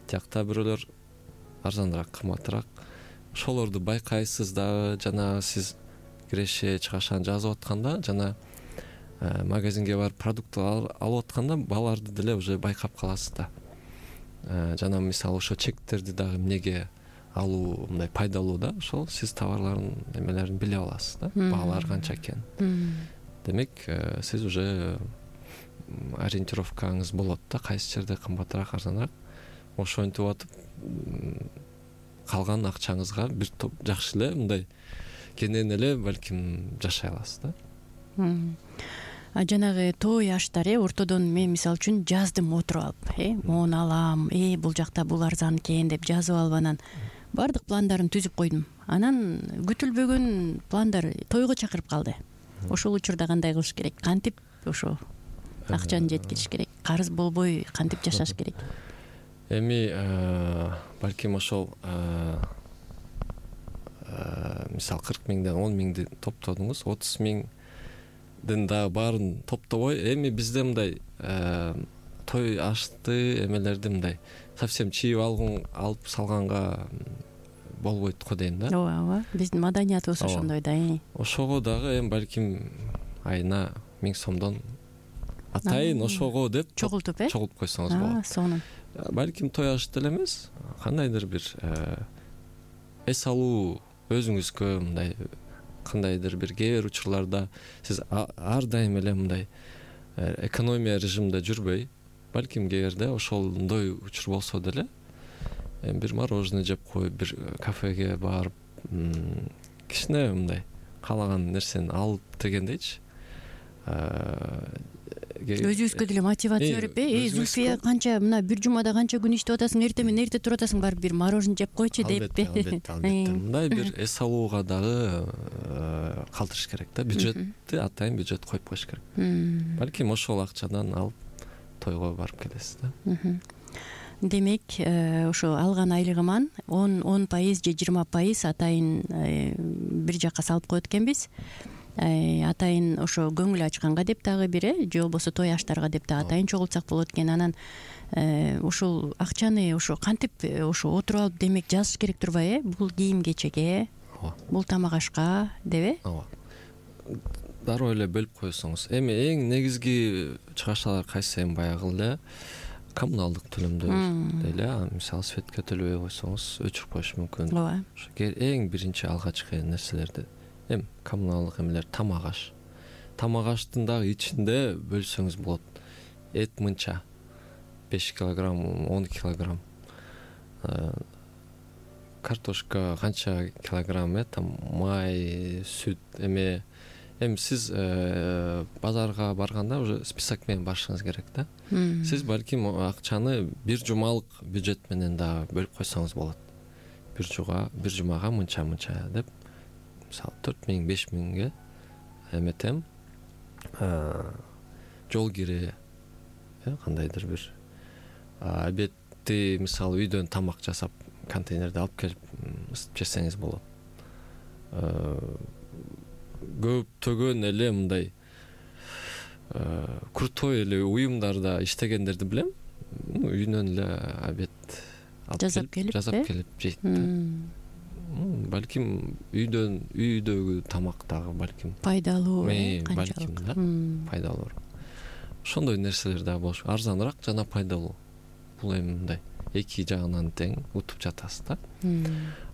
тиякта бирөөлөр арзаныраак, кымбатыраак. Ошолорду байкайсыз дагы, жана сиз киреше чыгашаны жазып атканда, жана магазинге барып продукт алып атканда бааларды деле уже байкап каласыз да. Жана мисалы ошо чектерди дагы эмнеге алуу мындай пайдалуу да, ошол сиз товарлардын эмелерин биле аласыз да, баалары канча экенин. Демек, сиз уже ориентировкаңыз болот да, кайсы жерде кымбатыраак, арзаныраак. Ошентип атып калган акчаңызга бир топ жакшы эле мындай кенен эле балким жашай аласыз да. Жанагы той аштар ортодон мен мисалы үчүн жаздым отуруп алып, моуну алам, бул жакта бул арзан экен деп жазып алып анан баардык пландарын түзүп койдум. Анан күтүлбөгөн пландар тойго чакырып калды. Ошол учурда кандай кылыш керек? Кантип ошо акчаны жеткириш керек? Карыз болбой кантип жашаш керек? Эми балким ошол мисалы 40 миңден 10 миңди топтодуңуз, 30 миңдин дагы баарын топтобой, эми бизде мындай той ашты эмелерди мындай совсем чийип алып салганга болбойт го дейм да. Ооба, биздин маданиятыбыз ошондой да. Ошого дагы эми балким айына 1000 сомдон атайын ошого деп чогултуп койсоңуз болот. Сонун. Балким той ашты эле эмес, кандайдыр бир эс алуу өзүңүзгө мындай кандайдыр бир кээ бир учурларда сиз ар дайым эле мындай экономия режимде жүрбөй, балким кээ бирде ошондой учур болсо деле бир мороженое жеп коюп, бир кафеге барып, кичине мындай каалаган нерсени алып дегендейчи. Өзүбүзгө деле мотивация берип, Зульфия канча мына бир жумада канча күн иштеп атасың, эртең менен эрте туруп атасың, барып бир мороженое жеп койчу деп. Албетте. Мындай бир эс алууга дагы калтырыш керек да, бюджетти атайын бюджет коюп коюш керек. Балким ошол акчадан алып тойго барып келесиз да. Демек, ошо алган айлыгыман 10% же 20% атайын бир жакка салып коет экенбиз. Атайын ошо көңүл ачканга деп дагы бир, же болбосо той аштарга деп да атайын чогултсак болот экен. Анан ошол акчаны ошо кантип ошо отуруп алып демек жазыш керек турбайбы? Бул кийим кечеге, бул тамак ашка деп. Ооба. Дароо эле бөлүп койсоңуз. Эми эң негизги чыгашалар кайсы? Эми баягы эле коммуналдык төлөмдөр эле, мисалы светке төлөбөй койсоңуз өчүрүп коюш мүмкүн. Ооба. Ошо эң биринчи алгачкы нерселерди. Эми коммуналдык эмелер, тамак аш. Тамак аштын дагы ичинде бөлсөңүз болот. Эт мынча 5 килограмм, 10 килограмм. Картошка канча килограмм, там май, сүт эме. Эми сиз базарга барганда уже список менен барышыңыз керек да. Сиз балким акчаны бир жумалык бюджет менен дагы бөлүп койсоңуз болот. Бир жумага мынча деп. Мисалы 4000, 5000ге эметем. Жол кире, кандайдыр бир обедти мисалы үйдөн тамак жасап контейнерде алып келип ысытып жесеңиз болот. Көптөгөн эле мындай крутой эле уюмдарда иштегендерди билем. Үйүнөн эле обед жасап келип жейт. Балким үйдөгү тамак дагы балким пайдалуу, балким да, пайдалуу. Ошондой нерселер дагы болуш, арзаныраак жана пайдалуу. Бул эми мындай эки жагынан тең утуп жатасыз да.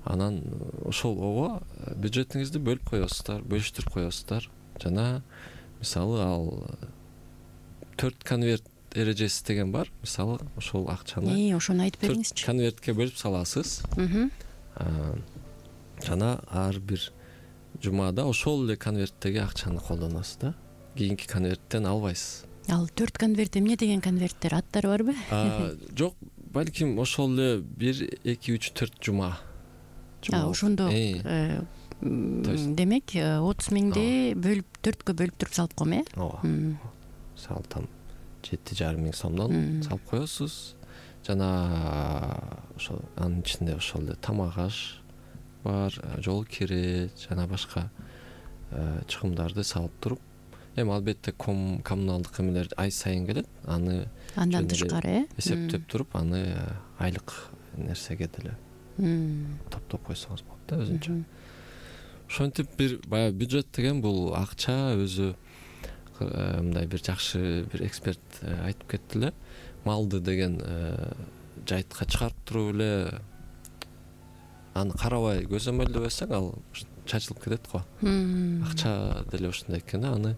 Анан ошол бюджетиңизди бөлүп коесуздар, бөлүштүрүп коесуздар. Жана мисалы ал 4 конверт эрежеси деген бар. Мисалы ошол акчаны ошону айтып бериңизчи. 4 конвертке бөлүп саласыз. Жана ар бир жумада ошол эле конверттеги акчаны колдоносуз да. Кийинки конверттен албайсыз. Ал 4 конверт эмне деген конверттер, аттары барбы? Жок, балким ошол эле 1, 2, 3, 4 жума. Ошондо демек 30 миңди бөлүп 4кө бөлүп туруп салып койм, Ооба. Мисалы там 7,5 миң сомдон салып коесуз. Жана ошол анын ичинде ошол эле тамак аш бар, жол кире жана башка чыгымдарды салып туруп, эми албетте коммуналдык эмелер ай сайын келет, аны андан тышкары эсептеп туруп, аны айлык нерсеге деле топтоп койсоңуз болот да өзүнчө. Ошентип бир баягы бюджет деген бул акча өзү мындай бир жакшы бир эксперт айтып кетти эле, малды деген жайтка чыгарып туруп эле аны карабай көзөмөлдөбөсөң ал чачылып кетет го. Акча деле ошондой экен, аны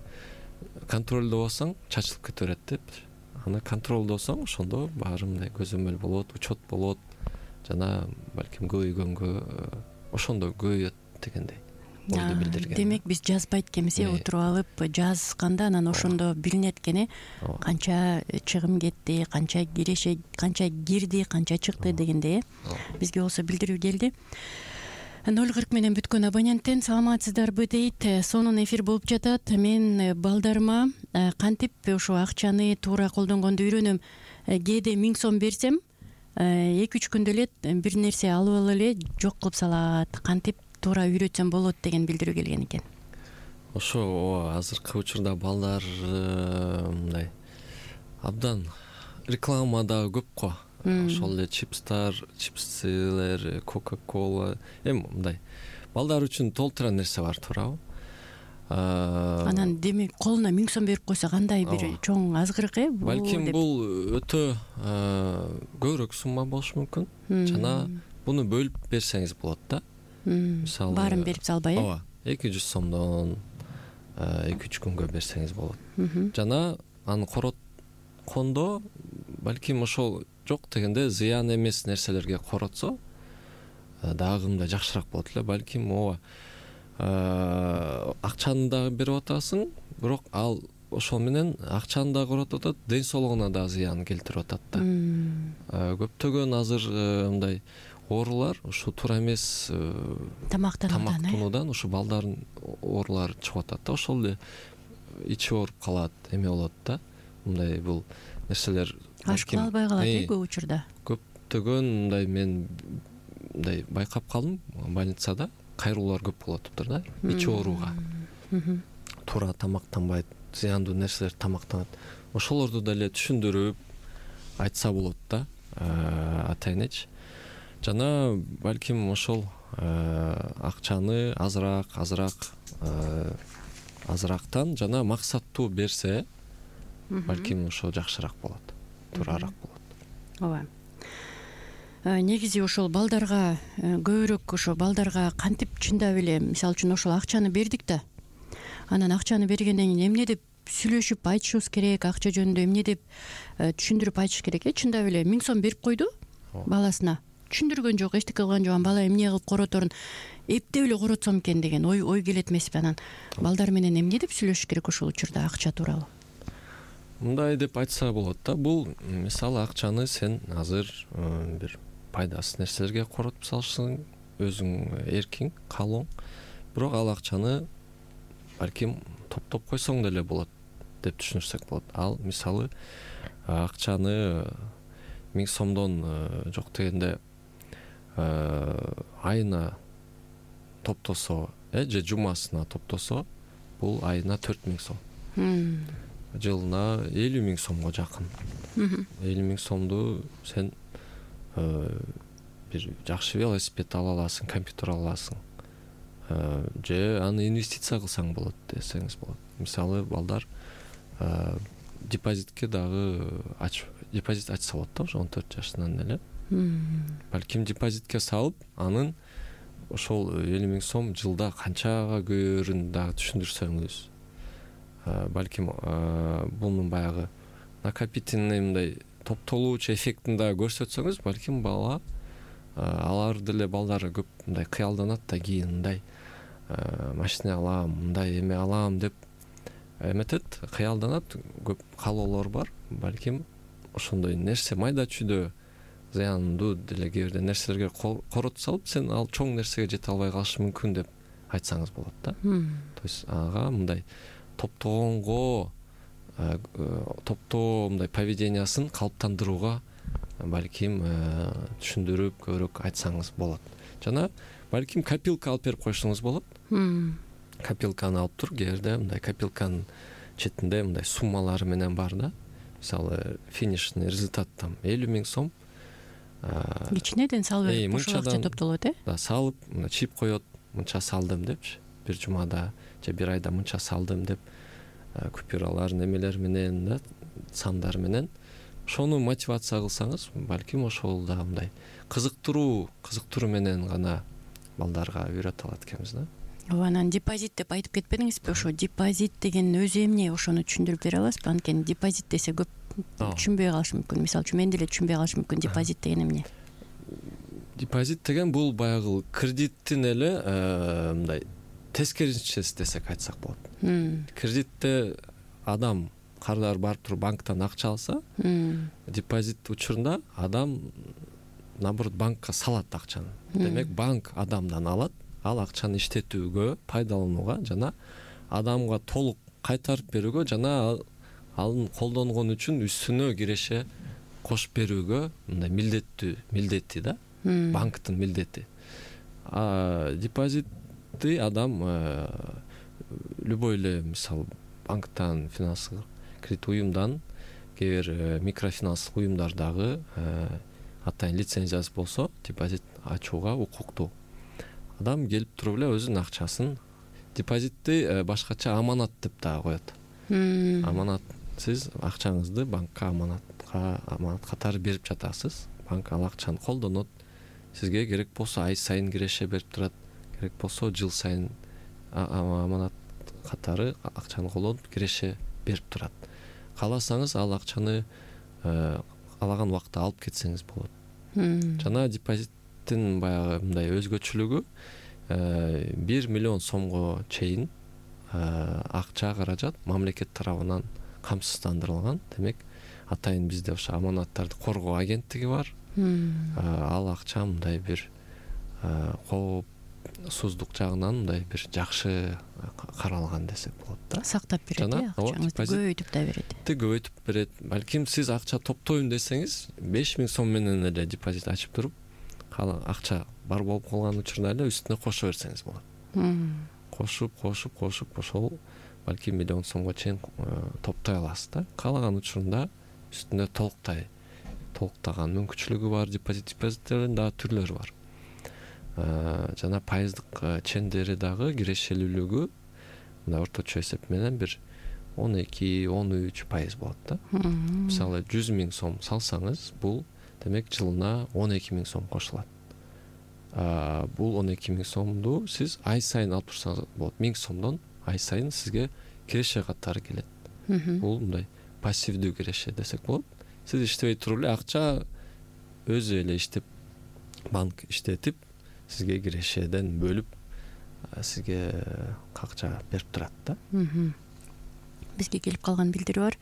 контролдобосоң чачылып кете берет деп. Аны контролдосоң ошондо баары мындай көзөмөл болот, учет болот, жана балким көбөйгөнгө ошондо көбөйөт дегендей ойду билдирген. Демек биз жазбайт экенбиз, отуруп алып жазганда анан ошондо билинет экен, канча чыгым кетти, канча кирди, канча чыкты дегендей. Бизге болсо билдирүү келди. 040 менен бүткөн абоненттен саламатсыздарбы дейт. Сонун эфир болуп жатат. Мен балдарыма кантип ошо акчаны туура колдонгонду үйрөнөм. Кээде 1000 сом берсем, 2-3 күндө эле бир нерсе алып алып эле жок кылып салат. Кантип туура үйрөтсөм болот деген билдирүү келген экен. Ошо азыркы учурда балдар мындай абдан реклама дагы көп го. Ошол эле чипсилер, кока-кола, эми мындай балдар үчүн толтура нерсе бар, туурабы? Анан демек колуна 1000 сом берип койсо кандай бир чоң азгырык Балким бул өтө көбүрөөк сумма болушу мүмкүн. Жана буну бөлүп берсеңиз болот да. Мисалы баарын берип салбай, 200 сомдон 2-3 күнгө берсеңиз болот. Жана аны короткондо балким ошол жок дегенде зыян эмес нерселерге коротсо дагы мындай жакшыраак болот эле. Балким акчаны дагы берип атасың, бирок ал ошол менен акчаны дагы коротуп атат, ден соолугуна дагы зыян келтирип атат да. Көптөгөн азыр мындай оорулар ушу туура эмес тамактануудан ушу балдардын оорулары чыгып атат да. Ошол эле ичи ооруп калат, эме болот да. Мындай бул нерселер аш кыла албай калат көп учурда. Көптөгөн мындай мен мындай байкап калдым, больницада кайрылуулар көп болуп атыптыр да, ичи ооруга. Туура тамактанбайт, зыяндуу нерселер тамактанат. Ошолорду деле түшүндүрүп айтса болот да, ата-энеч. Жана балким ошол акчаны азырактан жана максаттуу берсе, балким ошо жакшыраак болот, туурараак болот. Ооба. Негизи ошол балдарга көбүрөөк ошо балдарга кантип чындап эле, мисалы үчүн ошол акчаны бердик да. Анан акчаны бергенден кийин эмне деп сүйлөшүп айтышыбыз керек, акча жөнүндө эмне деп түшүндүрүп айтыш керек. Чындап эле 1000 сом берип койду баласына. Түшүндүргөн жок, эчтеке кылган жок, бала эмне кылып короторун эптеп эле коротсом экен деген ой келет эмеспи? Анан балдар менен эмне деп сүйлөшүш керек ошол учурда акча тууралуу? Мындай деп айтса болот да. Бул мисалы акчаны сен азыр бир пайдасыз нерселерге коротуп салышсың, өзүң эркиң, каалооң. Бирок ал акчаны балким топтоп койсоң деле болот деп түшүнүрсөк болот. Ал мисалы акчаны 1000 сомдон жок дегенде айына топтосо, же жумасына топтосо, бул айына 4000 сом. Жылына 50 000 сомго жакын. 50 000 сомду сен бир жакшы велосипед ала аласың, компьютер ала аласың. Же аны инвестиция кылсаң болот десеңиз болот. Мисалы балдар депозитке дагы депозит ачса болот да, ошо 14 жашынан эле. Балким депозитке салып, анын ошол 50 000 сом жылда канчага көбөйөрүн дагы түшүндүрсөңүз, балким бунун баягы накопительный мындай топтолуучу эффектин дагы көрсөтсөңүз, балким бала алар деле балдар көп мындай кыялданат да, кийин мындай машина алам, мындай эме алам деп эметет, кыялданат, көп каалоолор бар. Балким ошондой нерсе майда чүйдө зыяндуу деле кээ бирде нерселерге коротуп салып, сен ал чоң нерсеге жете албай калышы мүмкүн деп айтсаңыз болот да. То есть ага мындай топтогонго, топтоо мындай поведениясын калыптандырууга балким түшүндүрүп көбүрөөк айтсаңыз болот. Жана балким копилка алып берип коюшуңуз болот. копилканы алып тур, кээде мындай копилканын четинде мындай суммалары менен бар да. Мисалы финишный результат там 50 000 сом. Кичинеден салып берип ушул акча топтолот Да, салып, чип коет, мынча салдым депчи. Бир жумада же бир айда мынча салдым деп купюралар немелер менен да, сандар менен ошону мотивация кылсаңыз, балким ошол да мындай кызыктыруу менен гана балдарга үйрөтө алат экенбиз да. Анан депозит деп айтып кетпедиңизби? Ошо депозит деген өзү эмне, ошону түшүндүрүп бере аласызбы? Анткени депозит десе көп түшүнбөй калышы мүмкүн. Мисалы үчүн мен деле түшүнбөй калышым мүмкүн депозит деген эмне. Депозит деген бул баягы кредиттин эле мындай тескерисинчеси десек айтсак болот. Кредитте адам кардar барып туруп банктан акча алса, депозит учурунда адам наоборот банкка салат акчаны. Демек банк адамдан алат, ал акчаны иштетүүгө, пайдаланууга жана адамга толук кайтарып берүүгө жана анын колдонгон үчүн үстүнө киреше кошуп берүүгө мындай милдети да, банктын милдети. Депозитти адам любой эле, мисалы банктан, финансы кредит уюмдан, кээ бир микрофинанстык уюмдардагы атайын лицензиясы болсо, депозит ачууга укуктуу. Адам келип туруп эле өзүнүн акчасын, депозитти башкача аманат деп да коет. Аманат, сиз акчаңызды банкка аманат катары берип жатасыз. Банк ал акчаны колдонот. Сизге керек болсо ай сайын киреше берип турат, керек болсо жыл сайын аманат катары акчаны колдонуп киреше берип турат. Кааласаңыз ал акчаны каалаган убакта алып кетсеңиз болот. Жана депозиттин баягы мындай өзгөчөлүгү 1 миллион сомго чейин акча каражат мамлекет тарабынан камсыздандырылган. Демек, атайын бизде ошо аманаттарды коргоо агенттиги бар. Ал акча мындай бир коопсуздук жагынан мындай бир жакшы каралган десек болот да. Сактап берет, акчаңызды көбөйтүп да берет. Көбөйтүп берет. Балким сиз акча топтойм десеңиз, 5 000 сом менен эле депозит ачып туруп, акча бар болуп калган учурда эле үстүнө кошо берсеңиз болот. Кошуп ошол балким миллион сомго чейин топтой аласыз да. Каалаган учурунда үстүнө толуктаган мүмкүнчүлүгү бар. Депозиттердин дагы түрлөрү бар. Жана пайыздык чендери дагы кирешелүүлүгү мына орточо эсеп менен бир 12-13% болот да. Мисалы 100 000 сом салсаңыз, бул демек жылына 12 000 сом кошулат. Бул 12 000 сомду сиз ай сайын алып турсаңыз болот. 1000 сомдон ай сайын сизге киреше катары келет. Бул мындай пассивдүү киреше десек болот. Сиз иштебей туруп эле акча өзү эле иштеп, банк иштетип, сизге кирешеден бөлүп, сизге акча берип турат да. Бизге келип калган билдирүү бар.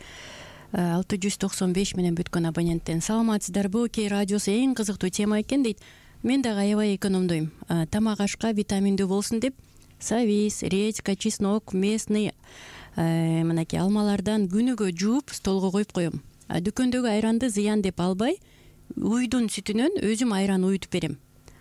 695 менен бүткөн абоненттен: саламатсыздарбы, Кей радиосу эң кызыктуу тема экен дейт. Мен дагы аябай экономдойм. Тамак ашка витаминдүү болсун деп савис, редька, чеснок, местный мынакей алмалардан күнүгө жууп столго коюп коем. Дүкөндөгү айранды зыян деп албай, уйдун сүтүнөн өзүм айран уютуп берем.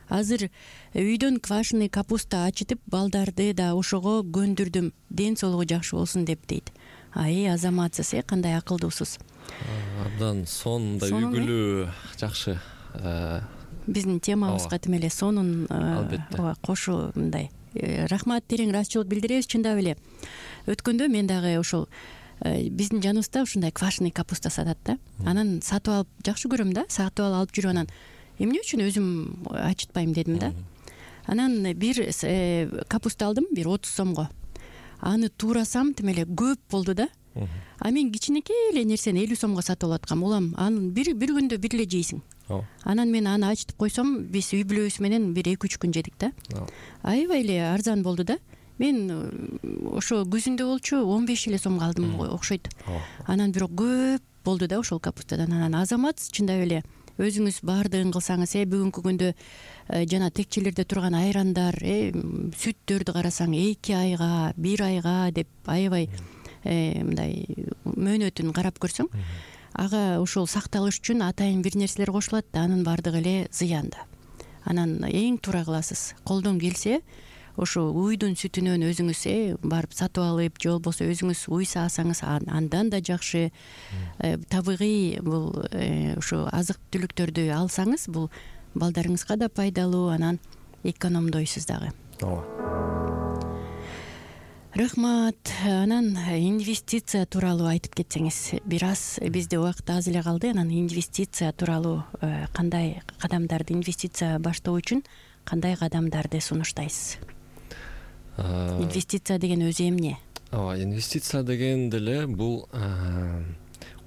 Азыр үйдөн квашеный капуста ачытып, балдарды да ошого көндүрдүм. Ден соолугу жакшы болсун деп дейт. Азаматсыз, кандай акылдуусуз. Абдан сонундай үйгүлүү, жакшы. Биздин темабызга тим эле сонун кошу мындай. Рахмат, терең ыраазычылык билдиребиз, чындап эле. Өткөндө мен дагы ошол биздин жаныбызда ушундай квашеный капуста сатат да. Анан сатып алып жакшы көрөм да, сатып алып жүрүп анан эмне үчүн өзүм ачытпайм дедим да. Анан бир капуста алдым, бир 30 сомго. Аны туурасам тим эле көп болду да. Мен кичинекей эле нерсени 50 сомго сатып алып аткам. Улам аны бир күндө бир эле жейсиң. Анан мен аны ачытып койсом, биз үй бүлөбүз менен бир 2-3 күн жедик да. Аябай эле арзан болду да. Мен ошо күзүндө болчу 15 эле сомго алдым окшойт. Анан бирок көп болду да ошол капустадан. Анан азамат, чындап эле өзүңүз баардыгын кылсаңыз, бүгүнкү күндө жана текчелерде турган айрандар, сүттөрдү карасаң 2 айга, 1 айга деп аябай мындай мөөнөтүн карап көрсөң, ага ошол сакталыш үчүн атайын бир нерселер кошулат да, анын баардыгы эле зыян да. Анан эң туура кыласыз. Колдон келсе, ошо уйдун сүтүнөн өзүңүз барып сатып алып же болбосо өзүңүз уй саасаңыз андан да жакшы. Табигый бул ошо азык түлүктөрдү алсаңыз бул балдарыңызга да пайдалуу, анан экономдойсуз дагы. ооба. Рахмат. Анан инвестиция тууралуу айтып кетсеңиз, бир аз бизде убакыт аз эле калды. Анан инвестиция тууралуу кандай кадамдарды, инвестиция баштоо үчүн кандай кадамдарды сунуштайсыз? Инвестиция деген өзү эмне? Ооба, инвестиция деген деле бул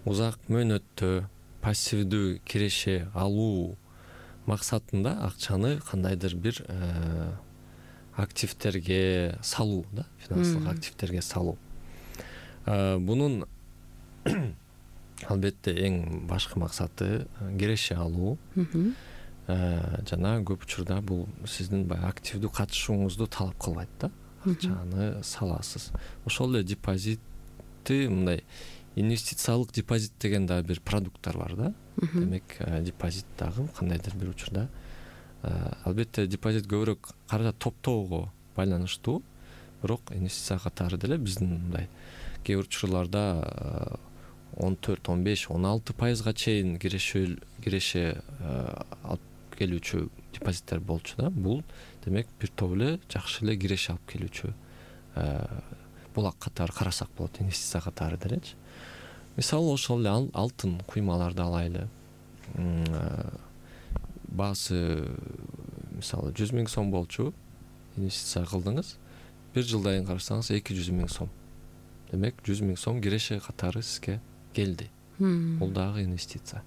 узак мөөнөттө пассивдүү киреше алуу максатында акчаны кандайдыр бир активтерге салуу да, финансылык активтерге салуу. Бунун албетте эң башкы максаты киреше алуу. Жана көп учурда бул сиздин баягы активдүү катышууңузду талап кылбайт да. Акчаны саласыз. Ошол эле депозитти, мындай инвестициялык депозит деген дагы бир продукттар бар да. Демек, депозит дагы кандайдыр бир учурда албетте депозит көбүрөөк каражат топтоого байланыштуу, бирок инвестиция катары деле биздин мындай кээ бир учурларда 14-15-16% чейин киреше алып келүүчү депозиттер болчу да. Бул демек бир топ эле жакшы эле киреше алып келүүчү булак катары карасак болот, инвестиция катары делечи. Мисалы ошол эле алтын куймаларды алайлы. Баасы мисалы 100 000 сом болчу, инвестиция кылдыңыз, бир жылдан кийин карасаңыз 200 000 сом. Демек 100 000 сом киреше катары сизге келди. Бул дагы инвестиция.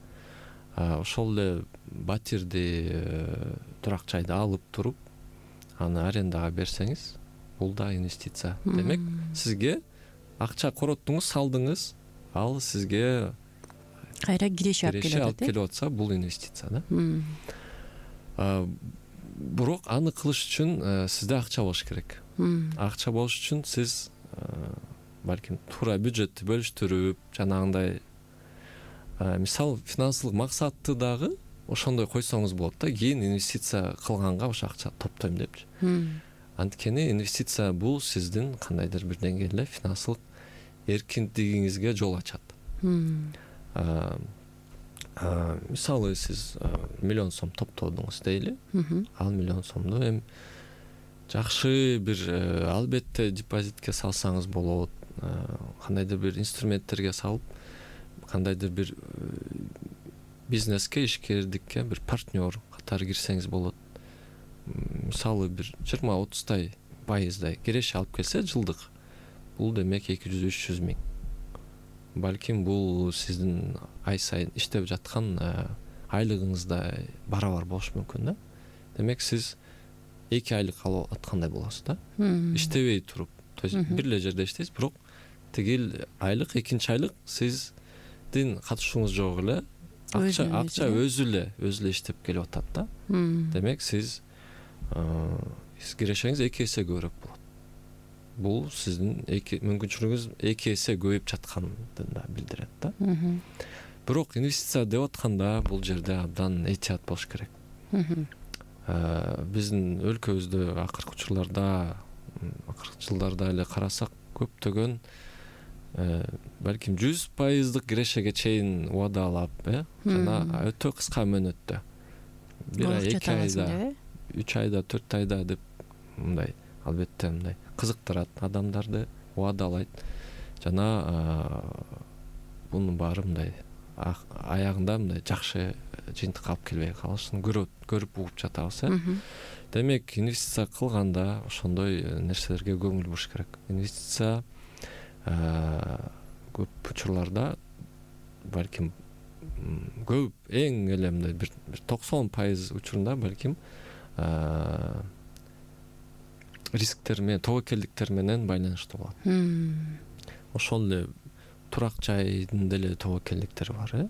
Ошол эле батирди, турак жайды алып туруп, аны арендага берсеңиз, бул да инвестиция. Демек сизге акча короттуңуз, салдыңыз, ал сизге кайра киреше алып келип атса, бул инвестиция да. Бирок аны кылыш үчүн сизде акча болуш керек. Акча болуш үчүн сиз балким туура бюджетти бөлүштүрүп, жанагындай мисал финансылык максатты дагы ошондой койсоңуз болот да. Кийин инвестиция кылганга ошо акча топтойм депчи. Анткени инвестиция бул сиздин кандайдыр бир деңгээлде финансылык эркиндигиңизге жол ачат. Мисалы сиз 1 миллион сом топтодуңуз дейли. Ал 1 миллион сомду эми жакшы бир албетте депозитке салсаңыз болот, кандайдыр бир инструменттерге салып, кандайдыр бир бизнеске, ишкердикке бир партнер катары кирсеңиз болот. Мисалы бир 20-30% киреше алып келсе жылдык, бул демек 200-300 000. Балким бул сиздин ай сайын иштеп жаткан айлыгыңызда барабар болушу мүмкүн да. Демек сиз 2 айлык алып аткандай болосуз да. Иштебей туруп, то есть бир эле жерде иштейсиз, бирок тигил айлык, экинчи айлык сиздин катышууңуз жок эле акча өзү эле иштеп келип атат да. Демек сиз кирешеңиз 2 эсе көбүрөөк болот. Бул сиздин мүмкүнчүлүгүңүз 2 эсе көбөйүп жатканын да билдирет да. Бирок инвестиция деп атканда бул жерде абдан этият болуш керек. Биздин өлкөбүздө акыркы учурларда, акыркы жылдарда эле карасак, көптөгөн балким 100% кирешеге чейин убадалап, жана өтө кыска мөөнөттө, 1 ай, 2 айда, 3 айда, 4 айда деп мындай албетте мындай кызыктырат адамдарды, убадалайт. Жана бунун баары мындай аягында мындай жакшы жыйынтыкка алып келбей калышын көрүп угуп жатабыз. Демек инвестиция кылганда ошондой нерселерге көңүл буруш керек. Инвестиция көп учурларда балким көп эң эле мындай бир 90% учурунда балким рисктер менен, тобокелдиктер менен байланыштуу болот. Ошол эле турак жайдын деле тобокелдиктери бар,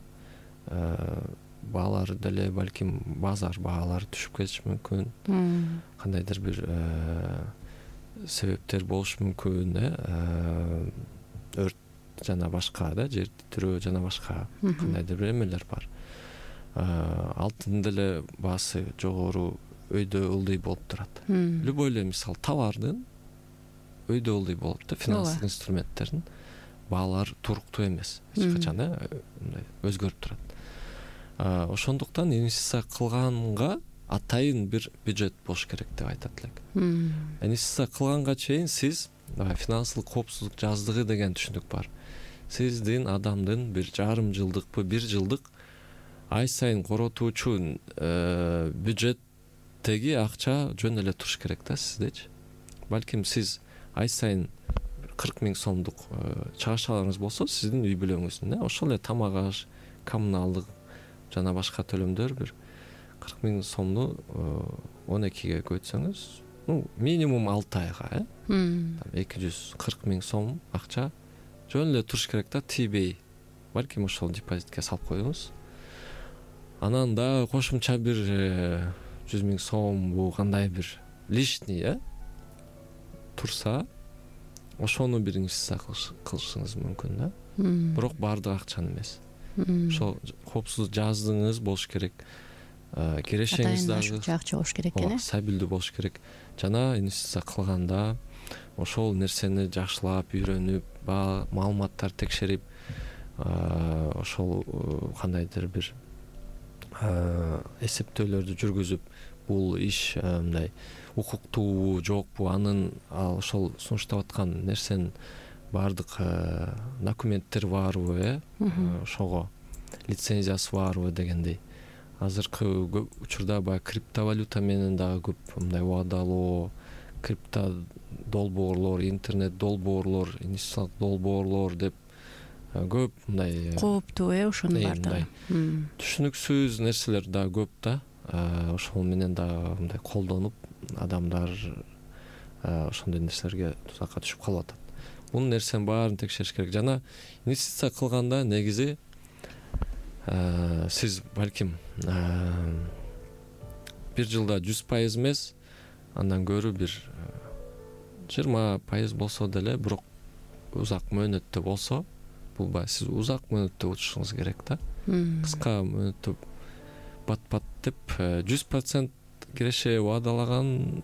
баалар деле балким базар баалары түшүп кетиши мүмкүн. Кандайдыр бир себептер болушу мүмкүн, өрт жана башка да, жер титирөө жана башка кандайдыр бир эмелер бар. Алтын деле баасы жогору өйдө ылдый болуп турат. Любой эле мисалы товардын өйдө ылдый болуп да, финансылык инструменттердин баалары туруктуу эмес, эч качан мындай өзгөрүп турат. Ошондуктан инвестиция кылганга атайын бир бюджет болуш керек деп айтат элек. Инвестиция кылганга чейин сиз финансылык коопсуздук жаздыгы деген түшүнүк бар. Сиздин адамдын 1,5 жылдыкпы, 1 жылдык ай сайын коротуучу бюджеттеги акча жөн эле туруш керек да сиздечи. Балким сиз ай сайын 40 000 сомдук чыгашаларыңыз болсо, сиздин үй бүлөңүздүн ошол эле тамак аш, коммуналдык жана башка төлөмдөр бир 40 000 сомду 12ге көйтсөңүз, минимум 6 айга 240 000 сом акча жөн эле туруш керек да, тийбей. Балким ошол депозитке салып коюңуз. Анан да кошумча бир 100 000 сом бу кандай бир лишний турса, ошону бир инвестиция кылышыңыз мүмкүн да. Бирок баардык акчаны эмес. Ошол коопсуздук жаздыгыңыз болуш керек. Кирешеңиз дагы акча болуш керек экен. Стабилдүү болуш керек. Жана инвестиция кылганда ошол нерсени жакшылап үйрөнүп, маалыматтар текшерип, ошол кандайдыр бир эсептөөлөрдү жүргүзүп, бул иш мындай укуктуубу, жокпу, анын ошол сунуштап аткан нерсенин баардык документтери барбы, ошого лицензиясы барбы дегендей. Азыркы учурда баягы криптовалюта менен дагы көп мындай убадалоо, крипто долбоорлор, интернет долбоорлор, инвестициялык долбоорлор деп көп мындай кооптуу ошонун баардыгы. Түшүнүксүз нерселер да көп да. Ошол менен да мындай колдонуп адамдар ошондой нерселерге тузакка түшүп калып атат. Бул нерсенин баарын текшериш керек. Жана инвестиция кылганда негизи сиз балким 1 жылда 100% эмес, андан көрү бир 20% болсо деле, бирок узак мөөнөттө болсо, бул баягы сиз узак мөөнөттө учушуңуз керек да. Кыска мөөнөттө бат-бат деп 100% киреше убадалаган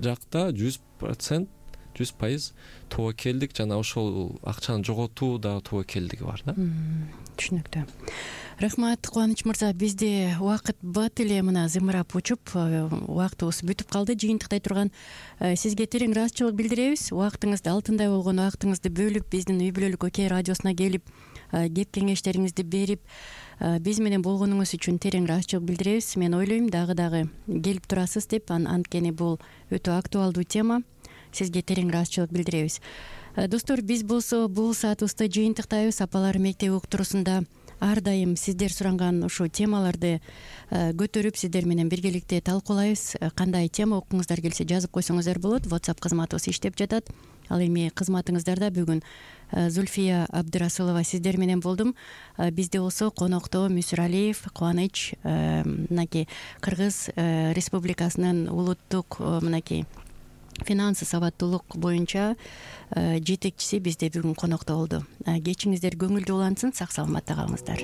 жакта 100% тобокелдик жана ошол акчаны жоготуу да тобокелдиги бар да. Түшүнүктүү. Рахмат Кубаныч мырза, бизде убакыт бат эле мына зымырап учуп, убактыбыз бүтүп калды. Жыйынтыктай турган сизге терең ыраазычылык билдиребиз. Убактыңызды, алтындай болгон убактыңызды бөлүп, биздин үй бүлөлүк Окей радиосуна келип, кеп кеңештериңизди берип, биз менен болгонуңуз үчүн терең ыраазычылык билдиребиз. Мен ойлойм дагы келип турасыз деп, анткени бул өтө актуалдуу тема. Сизге терең ыраазычылык билдиребиз. Достор, биз болсо бул саатыбызды жыйынтыктайбыз. Апалар мектеби уктуруусунда ар дайым сиздер суранган ушул темаларды көтөрүп, сиздер менен биргеликте талкуулайбыз. Кандай тема уккуңуздар келсе жазып койсоңуздар болот. WhatsApp кызматыбыз иштеп жатат. Ал эми кызматыңыздарда бүгүн Зульфия Абдырасулова сиздер менен болдум. Бизде болсо конокто Мүсүралиев Кубаныч, мынакей Кыргыз Республикасынын улуттук мынакей финансы сабаттуулук боюнча жетекчиси бизде бүгүн конокто болду. Кечиңиздер көңүлдүү улансын, сак саламатта калыңыздар.